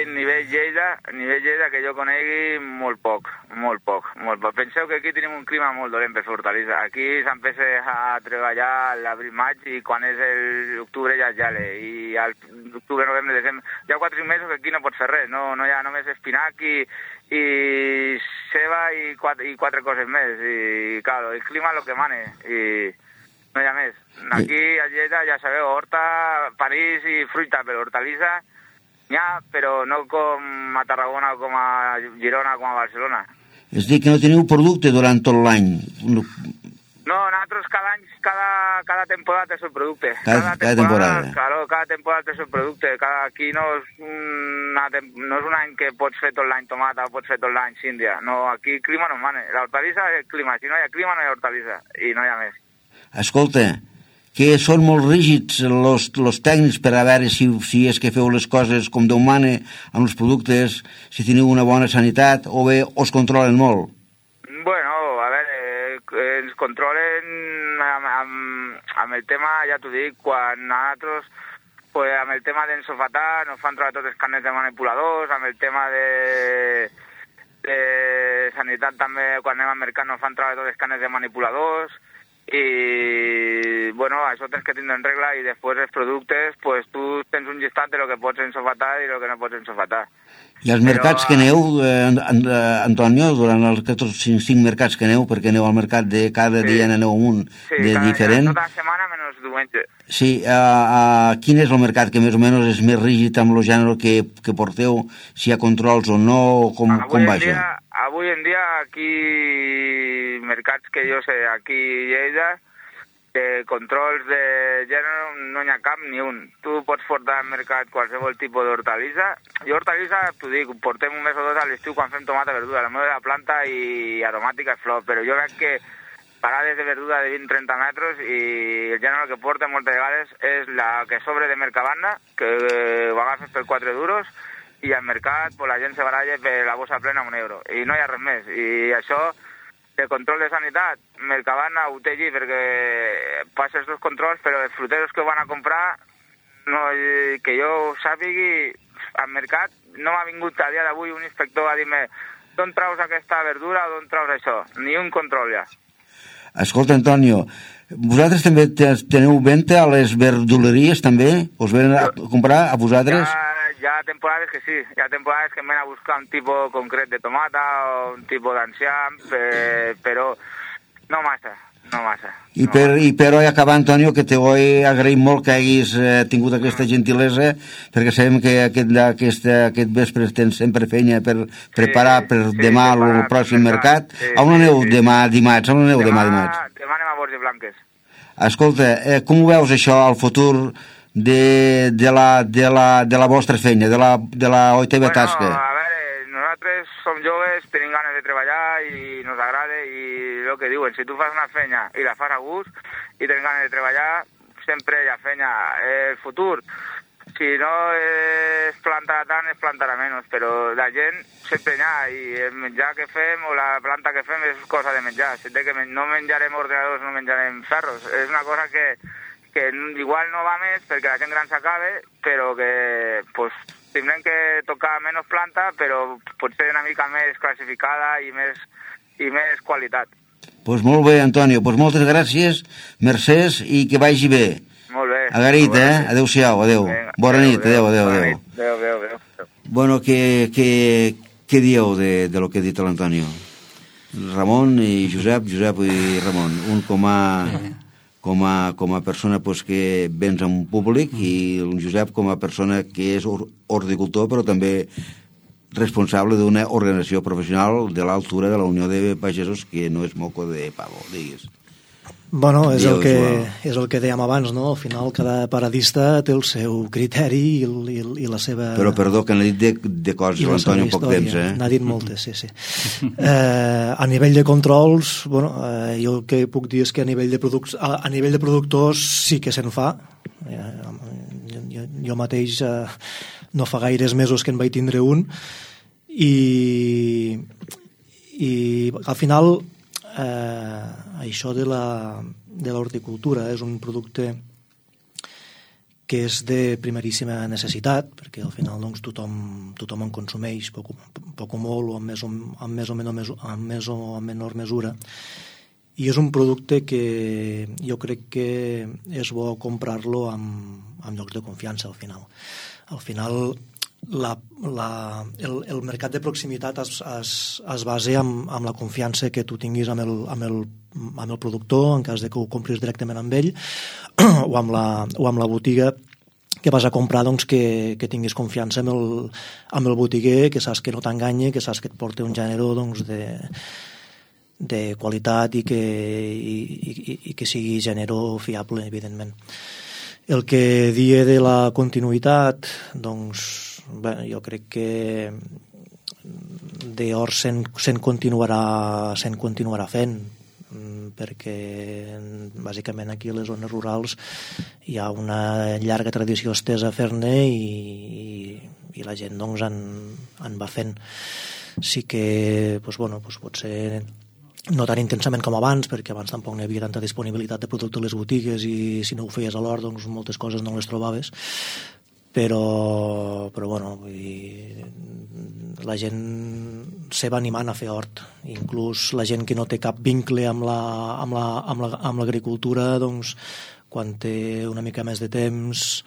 nivell Lleida, nivell Lleida que jo conegui, molt poc, molt poc, molt poc. Penseu que aquí tenim un clima molt dolent per fer hortalissa. Aquí s'empieza a treballar a l'abril-maig i quan és l'octubre ja és gele. I al octubre, novembre, desembre... Hi ha quatre mesos que aquí no pots fer res, no, no hi ha només espinac i, i ceba i quatre, i quatre coses més. I, claro, el clima és el que mane i no hi ha més. Aquí a Lleida, ja sabeu, horta, panís i fruita, però hortalissa n'hi ha, però no com a Tarragona, com a Girona, com a Barcelona. És dir, que no teniu producte durant tot l'any? No, nosaltres cada any, cada, cada temporada té el seu producte. Cada, cada temporada. temporada. Claro, cada temporada té el seu producte. Cada, aquí no és, una, no és un any que pots fer tot l'any tomata o pots fer tot l'any síndia. No, aquí el clima no mane. L'hortalissa és el clima. Si no hi ha clima, no hi ha hortalissa. I no hi ha més. Escolta, que són molt rígids los, los tècnics per a veure si, si és que feu les coses com Déu mana amb els productes, si teniu una bona sanitat o bé us controlen molt? Bueno, a veure, ens controlen amb, amb, amb el tema, ja t'ho dic, quan nosaltres, pues, amb el tema d'ensofatar, nos fan trobar tots els carnets de manipuladors, amb el tema de, de sanitat també, quan anem al mercat, nos fan trobar tots els carnets de manipuladors, i bueno, això tens que tindre en regla, i després els productes, pues tu tens un llistat de lo que pots ensofatar i lo que no pots ensofatar. I els mercats Però, que aneu, eh, Antonio, durant els cinc, cinc mercats que aneu, perquè aneu al mercat de cada sí. dia aneu un sí, de cada, diferent. Tota la setmana menys diumenge. Sí, uh, uh, quin és el mercat que més o menys és més rígid amb el gènere que, que porteu, si hi ha controls o no, o com, com va això? Dia, avui en dia, aquí, mercats que jo sé, aquí a Lleida, de controls de gènere no n'hi ha cap ni un. Tu pots portar al mercat qualsevol tipus d'hortalissa. I hortalissa, t'ho dic, portem un mes o dos a l'estiu quan fem tomata, verdura. La meva de la planta i aromàtica és flor, però jo veig que parades de verdura de vint a trenta metres i el gènere que porta moltes vegades és la que sobre de Mercadona, que ho agafes per quatre duros, i al mercat pues, la gent se baralla per la bossa plena un euro. I no hi ha res més. I això, de control de sanitat, Mercadona ho té allí perquè passa els dos controls, però els fruteros que van a comprar, no, que jo sàpigui, al mercat no m'ha vingut a dia d'avui un inspector a dir-me d'on traus aquesta verdura o d'on traus això. Ni un control ja. Escolta, Antonio, vosaltres també teniu venda a les verduleries, també? Us venen a comprar a vosaltres? Ja, hi ha temporades que sí, hi ha temporades que em ven a buscar un tipus concret de tomata o un tipus d'enciam, però no massa, no massa. I, no per, massa. I per acabar, Antonio, que te vull agrair molt que haguis eh, tingut aquesta gentilesa, perquè sabem que aquest, aquest, aquest vespre tens sempre feina per preparar sí, per sí, demà sí, el pròxim mercat. Sí, on aneu sí, sí. demà dimarts? On aneu demà, demà dimarts? Demà anem a Borges Blanques. Escolta, eh, com ho veus això, al futur de, de, la, de, la, de la vostra feina, de la, de la O I T V bueno, tasca? A veure, nosaltres som joves, tenim ganes de treballar i nos agrada, i el que diuen, si tu fas una feina i la fas a gust i tens ganes de treballar, sempre hi ha feina. El futur, si no es plantarà tant, es plantarà menys, però la gent sempre hi ha, i el menjar que fem o la planta que fem és cosa de menjar. Si té que men no menjarem ordenadors, no menjarem ferros. És una cosa que, que igual no va més perquè la gent gran s'acabe, però que pues, tindrem que tocar menys planta, però potser una mica més classificada i més, i més qualitat. Doncs pues molt bé, Antonio. Doncs pues moltes gràcies, mercès, i que vagi bé. Molt bé. Agraït, eh? Adéu-siau, adéu. Venga, Bona adéu, nit, adéu, adéu, adéu. adéu. Adéu, adéu, adéu. Bueno, què, què, què dieu de, de lo que ha dit l'Antonio? Ramon i Josep, Josep i Ramon. Un com a, com a, com a persona pues, que vens a un públic i un Josep com a persona que és horticultor, però també responsable d'una organització professional de l'altura de la Unió de Pagesos, que no és moco de pavo, digues. Bueno, és el, que, és el que dèiem abans, no? Al final cada paradista té el seu criteri i, el, i, i la seva... Però perdó, que n'ha dit de, de coses l'Antoni en poc temps, eh? N'ha dit moltes, sí, sí. Eh, a nivell de controls, bueno, eh, jo el que puc dir és que a nivell de, produc a, a nivell de productors sí que se'n fa. Eh, jo, jo, jo mateix eh, no fa gaires mesos que en vaig tindre un i, i al final eh, això de la de l'horticultura és un producte que és de primeríssima necessitat, perquè al final doncs, tothom, tothom en consumeix poc, poc o molt o amb més o, amb més o, menor, amb més o menor mesura, i és un producte que jo crec que és bo comprar-lo amb, amb llocs de confiança al final. Al final la, la, el, el mercat de proximitat es, es, es basa amb, amb la confiança que tu tinguis amb el, amb, el, amb el productor, en cas de que ho compris directament amb ell, o amb la, o amb la botiga que vas a comprar, doncs, que, que tinguis confiança amb el, amb el botiguer, que saps que no t'enganya, que saps que et porta un gènere doncs, de, de qualitat i que, i, i, i que sigui gènere fiable, evidentment. El que dia de la continuïtat, doncs, bé, jo crec que d'or se'n se continuarà, se continuarà fent, perquè bàsicament aquí a les zones rurals hi ha una llarga tradició estesa a fer-ne i, i, i la gent doncs en, en va fent. Sí que doncs, bueno, doncs potser no tan intensament com abans, perquè abans tampoc no hi havia tanta disponibilitat de producte a les botigues i si no ho feies a l'hort, doncs moltes coses no les trobaves. Però, però bueno, vull dir, la gent se va animant a fer hort. Inclús la gent que no té cap vincle amb la, amb la, amb la, amb l'agricultura, doncs, quan té una mica més de temps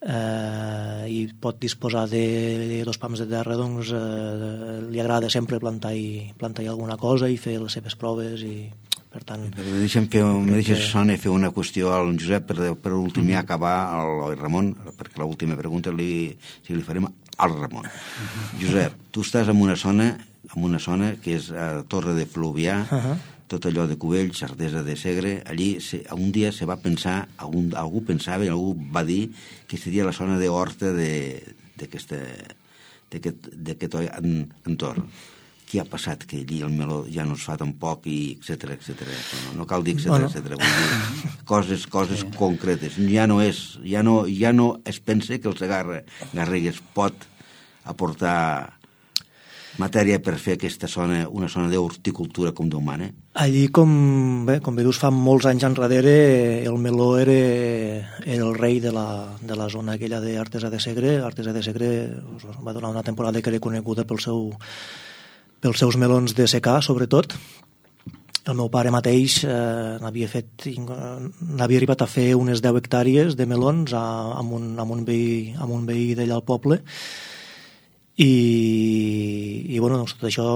eh, i pot disposar de dos pams de terra, doncs eh, li agrada sempre plantar i plantar alguna cosa i fer les seves proves i per tant... Me deixem fer, me deixes, Sònia, fer una qüestió al Josep per, per últim ja acabar al Ramon, perquè l'última pregunta li, si li farem al Ramon. Josep, tu estàs en una zona en una zona que és a Torre de Fluvià, uh-huh. tot allò de Cubells, Artesa de Segre, allí se, un dia se va pensar, algú, algú pensava i algú va dir que seria la zona d'horta d'aquest d'aquest entorn. Què ha passat? Que allí el meló ja no es fa tampoc i etcètera, etcètera. No, no cal dir etcètera, bueno. etcètera. Vull dir, coses, coses sí. concretes. Ja no és, ja no, ja no es pensa que el Segarra Garrigues pot aportar matèria per fer aquesta zona, una zona d'horticultura com Déu mana. Allí, com bé, com bé dius, fa molts anys enrere, el meló era, era el rei de la, de la zona aquella d'Artesa de Segre. Artesa de Segre va donar una temporada que era coneguda pel seu pels seus melons de secà, sobretot. El meu pare mateix eh, n'havia fet, n'havia arribat a fer unes deu hectàrees de melons a, amb, un, amb, un veí, amb un veí d'allà al poble i, i bueno, doncs, tot això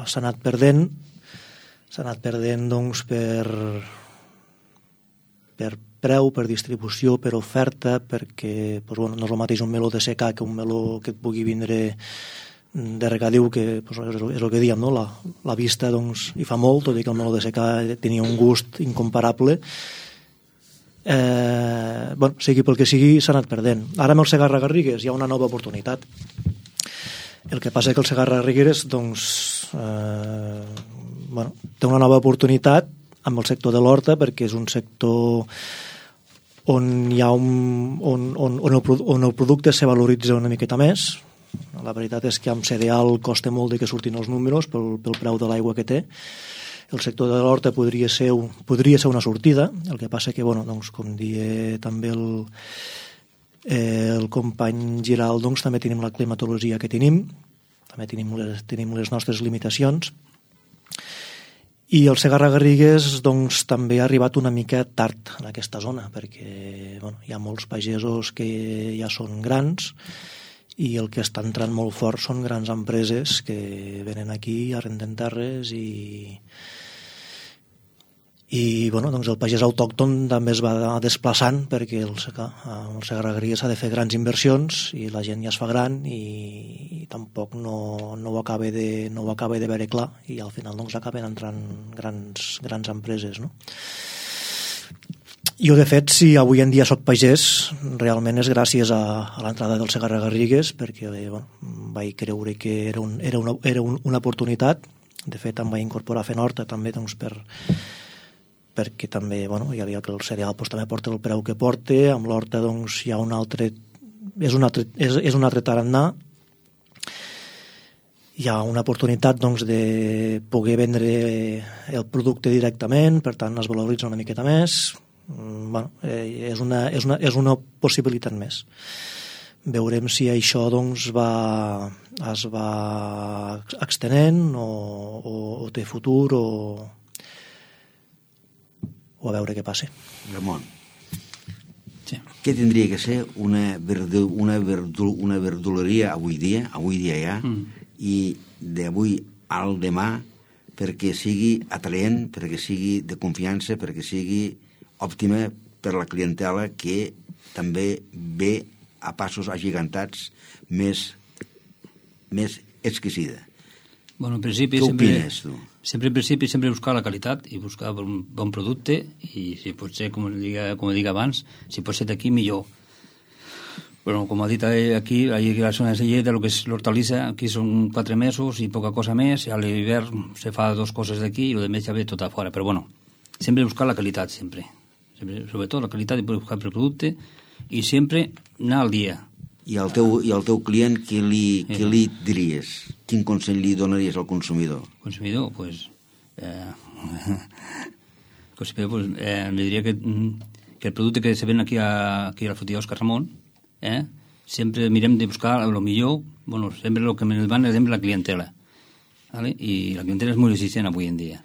s'ha anat perdent s'ha anat perdent doncs, per per preu, per distribució, per oferta, perquè doncs, bueno, no és el mateix un meló de secà que un meló que et pugui vindre de regadiu, que pues, és, és el que dèiem, no? la, la vista doncs, hi fa molt, tot i que el meló de secà tenia un gust incomparable. Eh, bueno, sigui pel que sigui, s'ha anat perdent. Ara amb el Segarra Garrigues hi ha una nova oportunitat. El que passa és que el Segarra Garrigues doncs, eh, bueno, té una nova oportunitat amb el sector de l'horta, perquè és un sector on, hi ha un, on, on, on, el, on el producte se valoritza una miqueta més. La veritat és que amb cereal costa molt de que surtin els números pel, pel preu de l'aigua que té. El sector de l'horta podria ser, podria ser una sortida, el que passa que, bueno, doncs, com dia també el, eh, el company Giral, doncs, també tenim la climatologia que tenim, també tenim les, tenim les nostres limitacions, i el Segarra Garrigues doncs, també ha arribat una mica tard en aquesta zona, perquè bueno, hi ha molts pagesos que ja són grans, i el que està entrant molt fort són grans empreses que venen aquí, arrenden terres i i bueno, doncs el pagès autòcton també es va desplaçant perquè el, el Segarra Garrigues s'ha de fer grans inversions i la gent ja es fa gran i, i tampoc no, no ho acaba de, no ho acaba de veure clar i al final doncs acaben entrant grans, grans empreses, no? Jo, de fet, si avui en dia soc pagès, realment és gràcies a, a l'entrada del Segarra Garrigues, perquè bé, bueno, vaig creure que era, un, era, una, era un, una oportunitat. De fet, em vaig incorporar a fer horta també doncs, per, perquè també bueno, ja veia que el cereal doncs, també porta el preu que porta, amb l'horta doncs, hi ha un altre... És un altre, és, és un altre tarannà. Hi ha una oportunitat doncs, de poder vendre el producte directament, per tant es valoritza una miqueta més. Bueno, eh, és, una, és, una, és una possibilitat més. Veurem si això doncs, va, es va extenent o, o, o té futur o, o a veure què passa. Ramon, sí. Què tindria que ser una, verdu, una, verdu, una verduleria avui dia, avui dia ja, mm. i d'avui al demà perquè sigui atraent, perquè sigui de confiança, perquè sigui òptima per la clientela que també ve a passos agigantats més, més exquisida. Bueno, en principi, Què sempre, opines, tu? Sempre, en principi, sempre buscar la qualitat i buscar un bon producte i si pot ser, com diga, com dic abans, si pot ser d'aquí, millor. Bueno, com ha dit aquí, aquí la zona de Lleida, el que és l'hortalissa, aquí són quatre mesos i poca cosa més, a l'hivern se fa dos coses d'aquí i el de més ja ve tot a fora, però bueno, sempre buscar la qualitat, sempre. sempre sobretot la qualitat de buscar el producte i sempre anar al dia. I al teu, i al teu client, què li, què li diries? Quin consell li donaries al consumidor? El consumidor, doncs, pues, Eh, pues, pues, eh, le diria que, que el producte que se ven aquí a, aquí a la fruteria Òscar Ramon, eh, sempre mirem de buscar el millor, bueno, sempre el que ens van és la clientela, ¿vale? I la clientela és molt exigent avui en dia.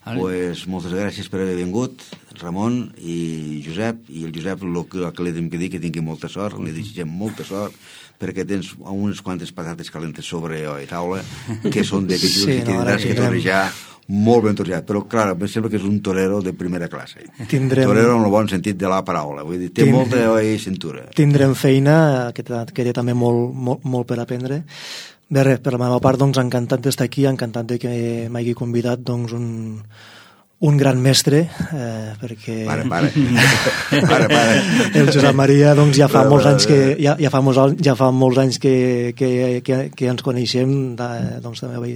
¿Vale? Pues moltes gràcies per haver vingut, Ramon i Josep, i el Josep el que, el que li hem de dir que tingui molta sort, li desitgem molta sort, perquè tens unes quantes patates calentes sobre la taula, que són de que sí, i no, tindràs que torejar molt ben torejat, però clar, em sembla que és un torero de primera classe. Tindrem... Torero en el bon sentit de la paraula, vull dir, té Tind... molta olla i cintura. Tindrem feina, que, que té també molt, molt, molt per aprendre. Bé, res, per la meva part, doncs, encantat d'estar aquí, encantat de que m'hagi convidat, doncs, un, un gran mestre, eh, perquè... Pare, pare. pare, pare. El Josep Maria, doncs, ja fa pare, molts anys que, ja, ja fa molts, ja fa molts anys que, que, que, que ens coneixem, de, doncs, també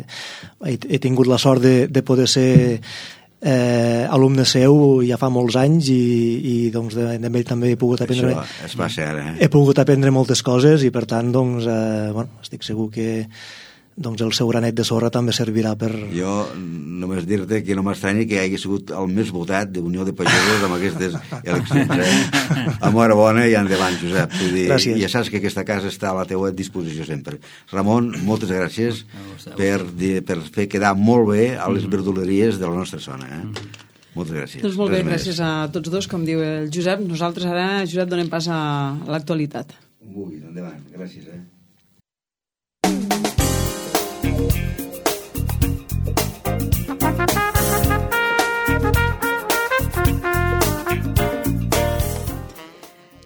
he, he tingut la sort de, de poder ser eh, alumne seu ja fa molts anys i, i doncs, d'ell també he pogut aprendre... Això es va ser, eh? He pogut aprendre moltes coses i, per tant, doncs, eh, bueno, estic segur que doncs el seu granet de sorra també servirà per... Jo només dir-te que no m'estranya que hagi sigut el més votat d'Unió de Pagesos amb aquestes eleccions. Eh? Enhorabona i endavant, Josep. Vull dir, gràcies. Ja saps que aquesta casa està a la teua disposició sempre. Ramon, moltes gràcies per, per fer quedar molt bé a les verduleries de la nostra zona. Eh? Moltes gràcies. Doncs molt bé, gràcies a tots dos, com diu el Josep. Nosaltres ara, Josep, donem pas a l'actualitat. Ui, endavant, gràcies, eh?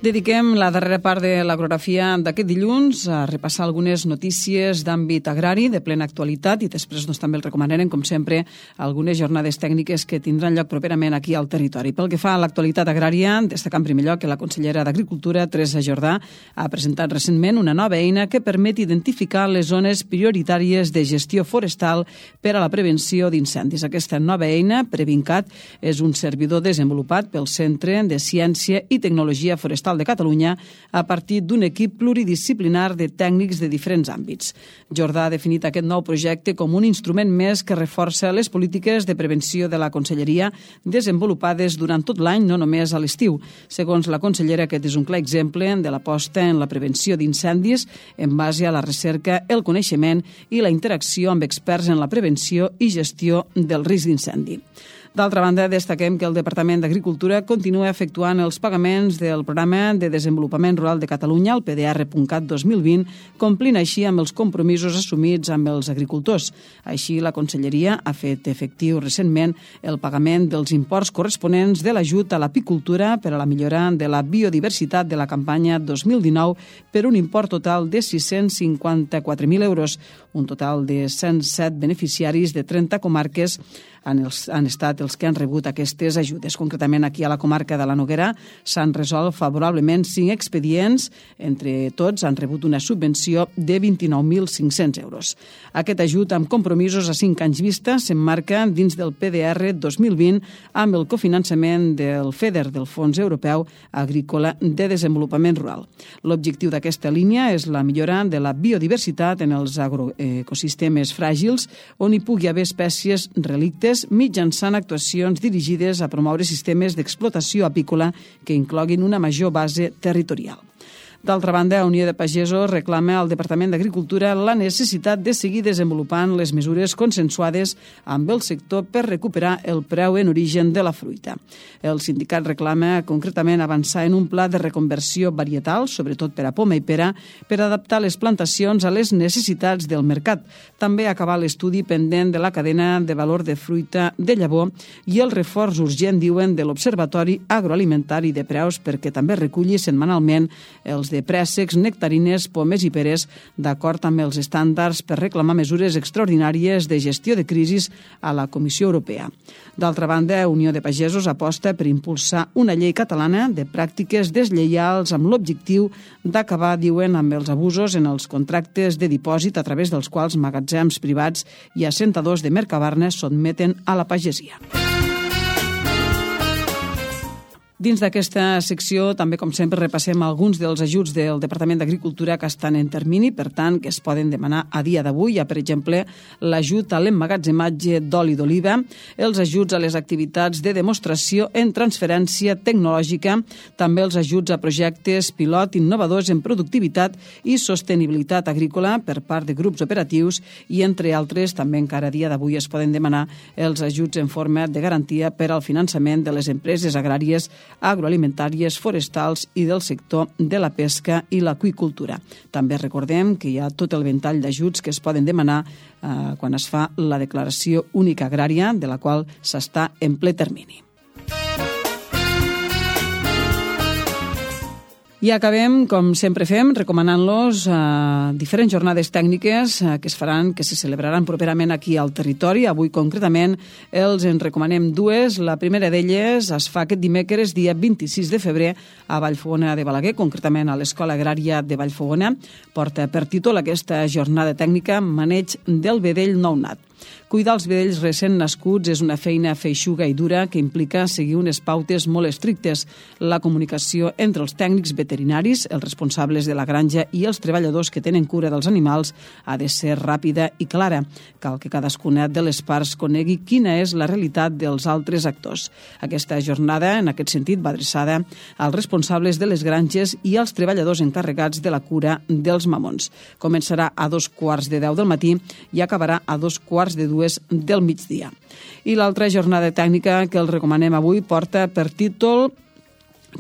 Dediquem la darrera part de l'agrografia d'aquest dilluns a repassar algunes notícies d'àmbit agrari de plena actualitat i després doncs, també el recomanarem, com sempre, algunes jornades tècniques que tindran lloc properament aquí al territori. Pel que fa a l'actualitat agrària, destacar en primer lloc que la consellera d'Agricultura, Teresa Jordà, ha presentat recentment una nova eina que permet identificar les zones prioritàries de gestió forestal per a la prevenció d'incendis. Aquesta nova eina, Previncat, és un servidor desenvolupat pel Centre de Ciència i Tecnologia Forestal de Catalunya a partir d'un equip pluridisciplinar de tècnics de diferents àmbits. Jordà ha definit aquest nou projecte com un instrument més que reforça les polítiques de prevenció de la Conselleria desenvolupades durant tot l'any, no només a l'estiu. Segons la consellera, aquest és un clar exemple de l'aposta en la prevenció d'incendis en base a la recerca, el coneixement i la interacció amb experts en la prevenció i gestió del risc d'incendi. D'altra banda, destaquem que el Departament d'Agricultura continua efectuant els pagaments del Programa de Desenvolupament Rural de Catalunya, el P D R Cat dos mil vint, complint així amb els compromisos assumits amb els agricultors. Així, la Conselleria ha fet efectiu recentment el pagament dels imports corresponents de l'ajut a l'apicultura per a la millora de la biodiversitat de la campanya dos mil dinou per un import total de sis-cents cinquanta-quatre mil euros, un total de cent set beneficiaris de trenta comarques han, els, han estat els que han rebut aquestes ajudes. Concretament, aquí a la comarca de la Noguera s'han resolt favorablement cinc expedients. Entre tots han rebut una subvenció de vint-i-nou mil cinc-cents euros. Aquest ajut amb compromisos a cinc anys vista s'emmarca dins del P D R dos mil vint amb el cofinançament del FEDER, del Fons Europeu Agrícola de Desenvolupament Rural. L'objectiu d'aquesta línia és la millora de la biodiversitat en els agroecosistemes fràgils on hi pugui haver espècies relictes mitjançant actuacions dirigides a promoure sistemes d'explotació apícola que incloguin una major base territorial. D'altra banda, Unió de Pagesos reclama al Departament d'Agricultura la necessitat de seguir desenvolupant les mesures consensuades amb el sector per recuperar el preu en origen de la fruita. El sindicat reclama concretament avançar en un pla de reconversió varietal, sobretot per a poma i pera, per adaptar les plantacions a les necessitats del mercat. També acabar l'estudi pendent de la cadena de valor de fruita de llavor i el reforç urgent, diuen, de l'Observatori Agroalimentari de Preus perquè també reculli setmanalment els de préssecs, nectarines, pomes i peres, d'acord amb els estàndards per reclamar mesures extraordinàries de gestió de crisis a la Comissió Europea. D'altra banda, Unió de Pagesos aposta per impulsar una llei catalana de pràctiques deslleials amb l'objectiu d'acabar, diuen, amb els abusos en els contractes de dipòsit a través dels quals magatzems privats i assentadors de Mercabarna sotmeten a la pagesia. Dins d'aquesta secció, també, com sempre, repassem alguns dels ajuts del Departament d'Agricultura que estan en termini, per tant, que es poden demanar a dia d'avui. Hi ha, per exemple, l'ajut a l'emmagatzematge d'oli d'oliva, els ajuts a les activitats de demostració en transferència tecnològica, també els ajuts a projectes pilot innovadors en productivitat i sostenibilitat agrícola per part de grups operatius i, entre altres, també encara a dia d'avui es poden demanar els ajuts en forma de garantia per al finançament de les empreses agràries, agroalimentàries, forestals i del sector de la pesca i l'aqüicultura. També recordem que hi ha tot el ventall d'ajuts que es poden demanar eh, quan es fa la declaració única agrària, de la qual s'està en ple termini. I acabem, com sempre fem, recomanant-los eh, diferents jornades tècniques eh, que es faran, que se celebraran properament aquí al territori. Avui, concretament, els en recomanem dues. La primera d'elles es fa aquest dimecres, dia vint-i-sis de febrer, a Vallfogona de Balaguer, concretament a l'Escola Agrària de Vallfogona. Porta per títol aquesta jornada tècnica Maneig del vedell nounat. Cuidar els vedells recent nascuts és una feina feixuga i dura que implica seguir unes pautes molt estrictes. La comunicació entre els tècnics veterinaris, els responsables de la granja i els treballadors que tenen cura dels animals ha de ser ràpida i clara. Cal que cadascuna de les parts conegui quina és la realitat dels altres actors. Aquesta jornada, en aquest sentit, va adreçada als responsables de les granges i als treballadors encarregats de la cura dels mamons. Començarà a dos quarts de deu del matí i acabarà a dos quarts de dues del migdia. I l'altra jornada tècnica que els recomanem avui porta per títol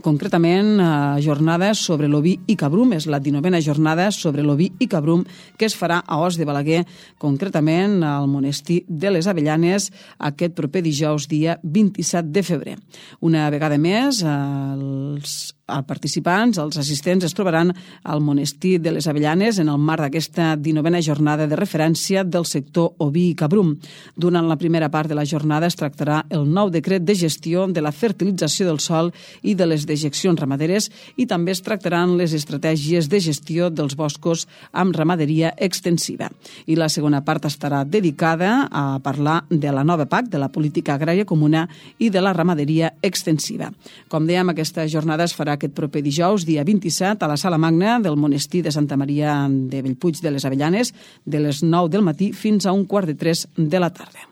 concretament eh, jornada sobre l'oví i cabrum. És la dinovena jornada sobre l'oví i cabrum que es farà a Os de Balaguer, concretament al monestir de les Avellanes, aquest proper dijous, dia vint-i-set de febrer. Una vegada més, eh, els els participants, els assistents, es trobaran al monestir de les Avellanes en el marc d'aquesta dinovena jornada de referència del sector oví i cabrum. Durant la primera part de la jornada es tractarà el nou decret de gestió de la fertilització del sòl i de les dejeccions ramaderes i també es tractaran les estratègies de gestió dels boscos amb ramaderia extensiva. I la segona part estarà dedicada a parlar de la nova P A C, de la política agrària comuna i de la ramaderia extensiva. Com dèiem, aquesta jornada es farà aquest proper dijous, dia vint-i-set, a la Sala Magna del monestir de Santa Maria de Bellpuig de les Avellanes, de les nou del matí fins a un quart de tres de la tarda.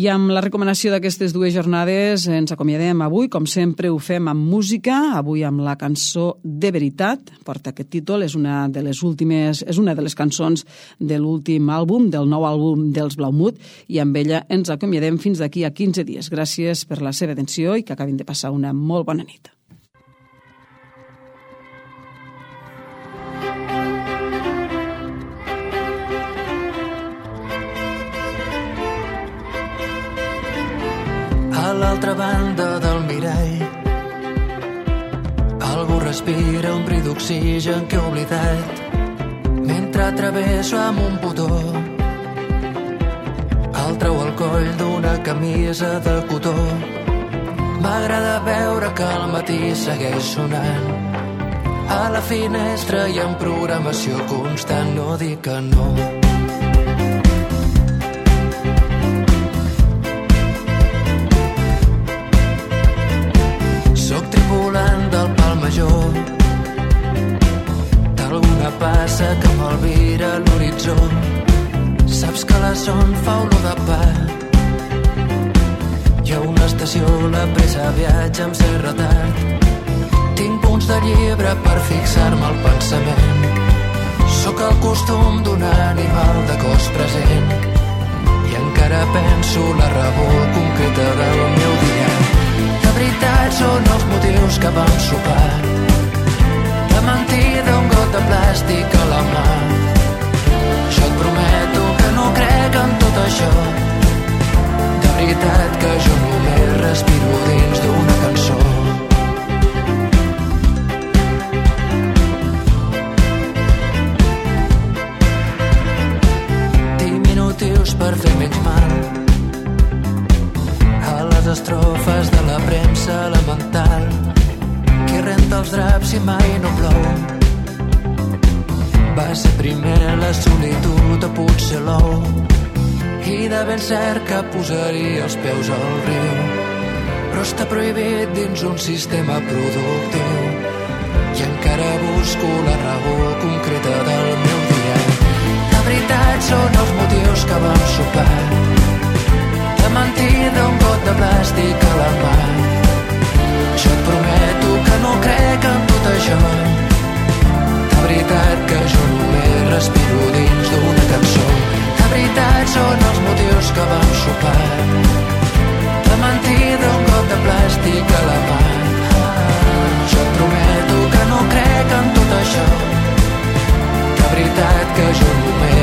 I amb la recomanació d'aquestes dues jornades ens acomiadem avui. Com sempre ho fem amb música, avui amb la cançó De Veritat. Porta aquest títol, és una de les últimes, és una de les cançons de l'últim àlbum, del nou àlbum dels Blaumut, i amb ella ens acomiadem fins d'aquí a quinze dies. Gràcies per la seva atenció i que acabin de passar una molt bona nit. A l'altra banda del mirall algú respira un bri d'oxigen que he oblidat mentre travesso amb un botó el treu al coll d'una camisa de cotó. M'agrada veure que al matí segueix sonant a la finestra hi ha programació constant, no dic que no. Tripulant del pal major d'alguna passa que m'alvira l'horitzó. Saps que la son fa olor de pa. Hi ha una estació, la pressa viatja amb cert retard. Tinc punts de llibre per fixar-me al pensament. Sóc el costum d'un animal de cos present i encara penso la raó concreta del meu dia. De veritat són els motius que vam sopar. De mentida un got de plàstic a la mà. Jo et prometo que no crec en tot això. De veritat que jo només respiro dins d'una cançó. Diminutius per fer menys mal a les estrofes de la premsa elemental. Qui renta els draps i mai no plou? Va ser primer la solitud o potser l'ou? i de ben cert que posaria els peus al riu, però està prohibit dins un sistema productiu i encara busco la raó concreta del meu dia. La veritat són els motius que vam sopar, de mentida un got de plàstic a la mà. Jo et prometo que no crec en tot això, de veritat que jo només respiro dins d'una cançó. La veritat són els motius que vam sopar, de mentida un got de plàstic a la mà. Jo et prometo que no crec en tot això, de veritat que jo només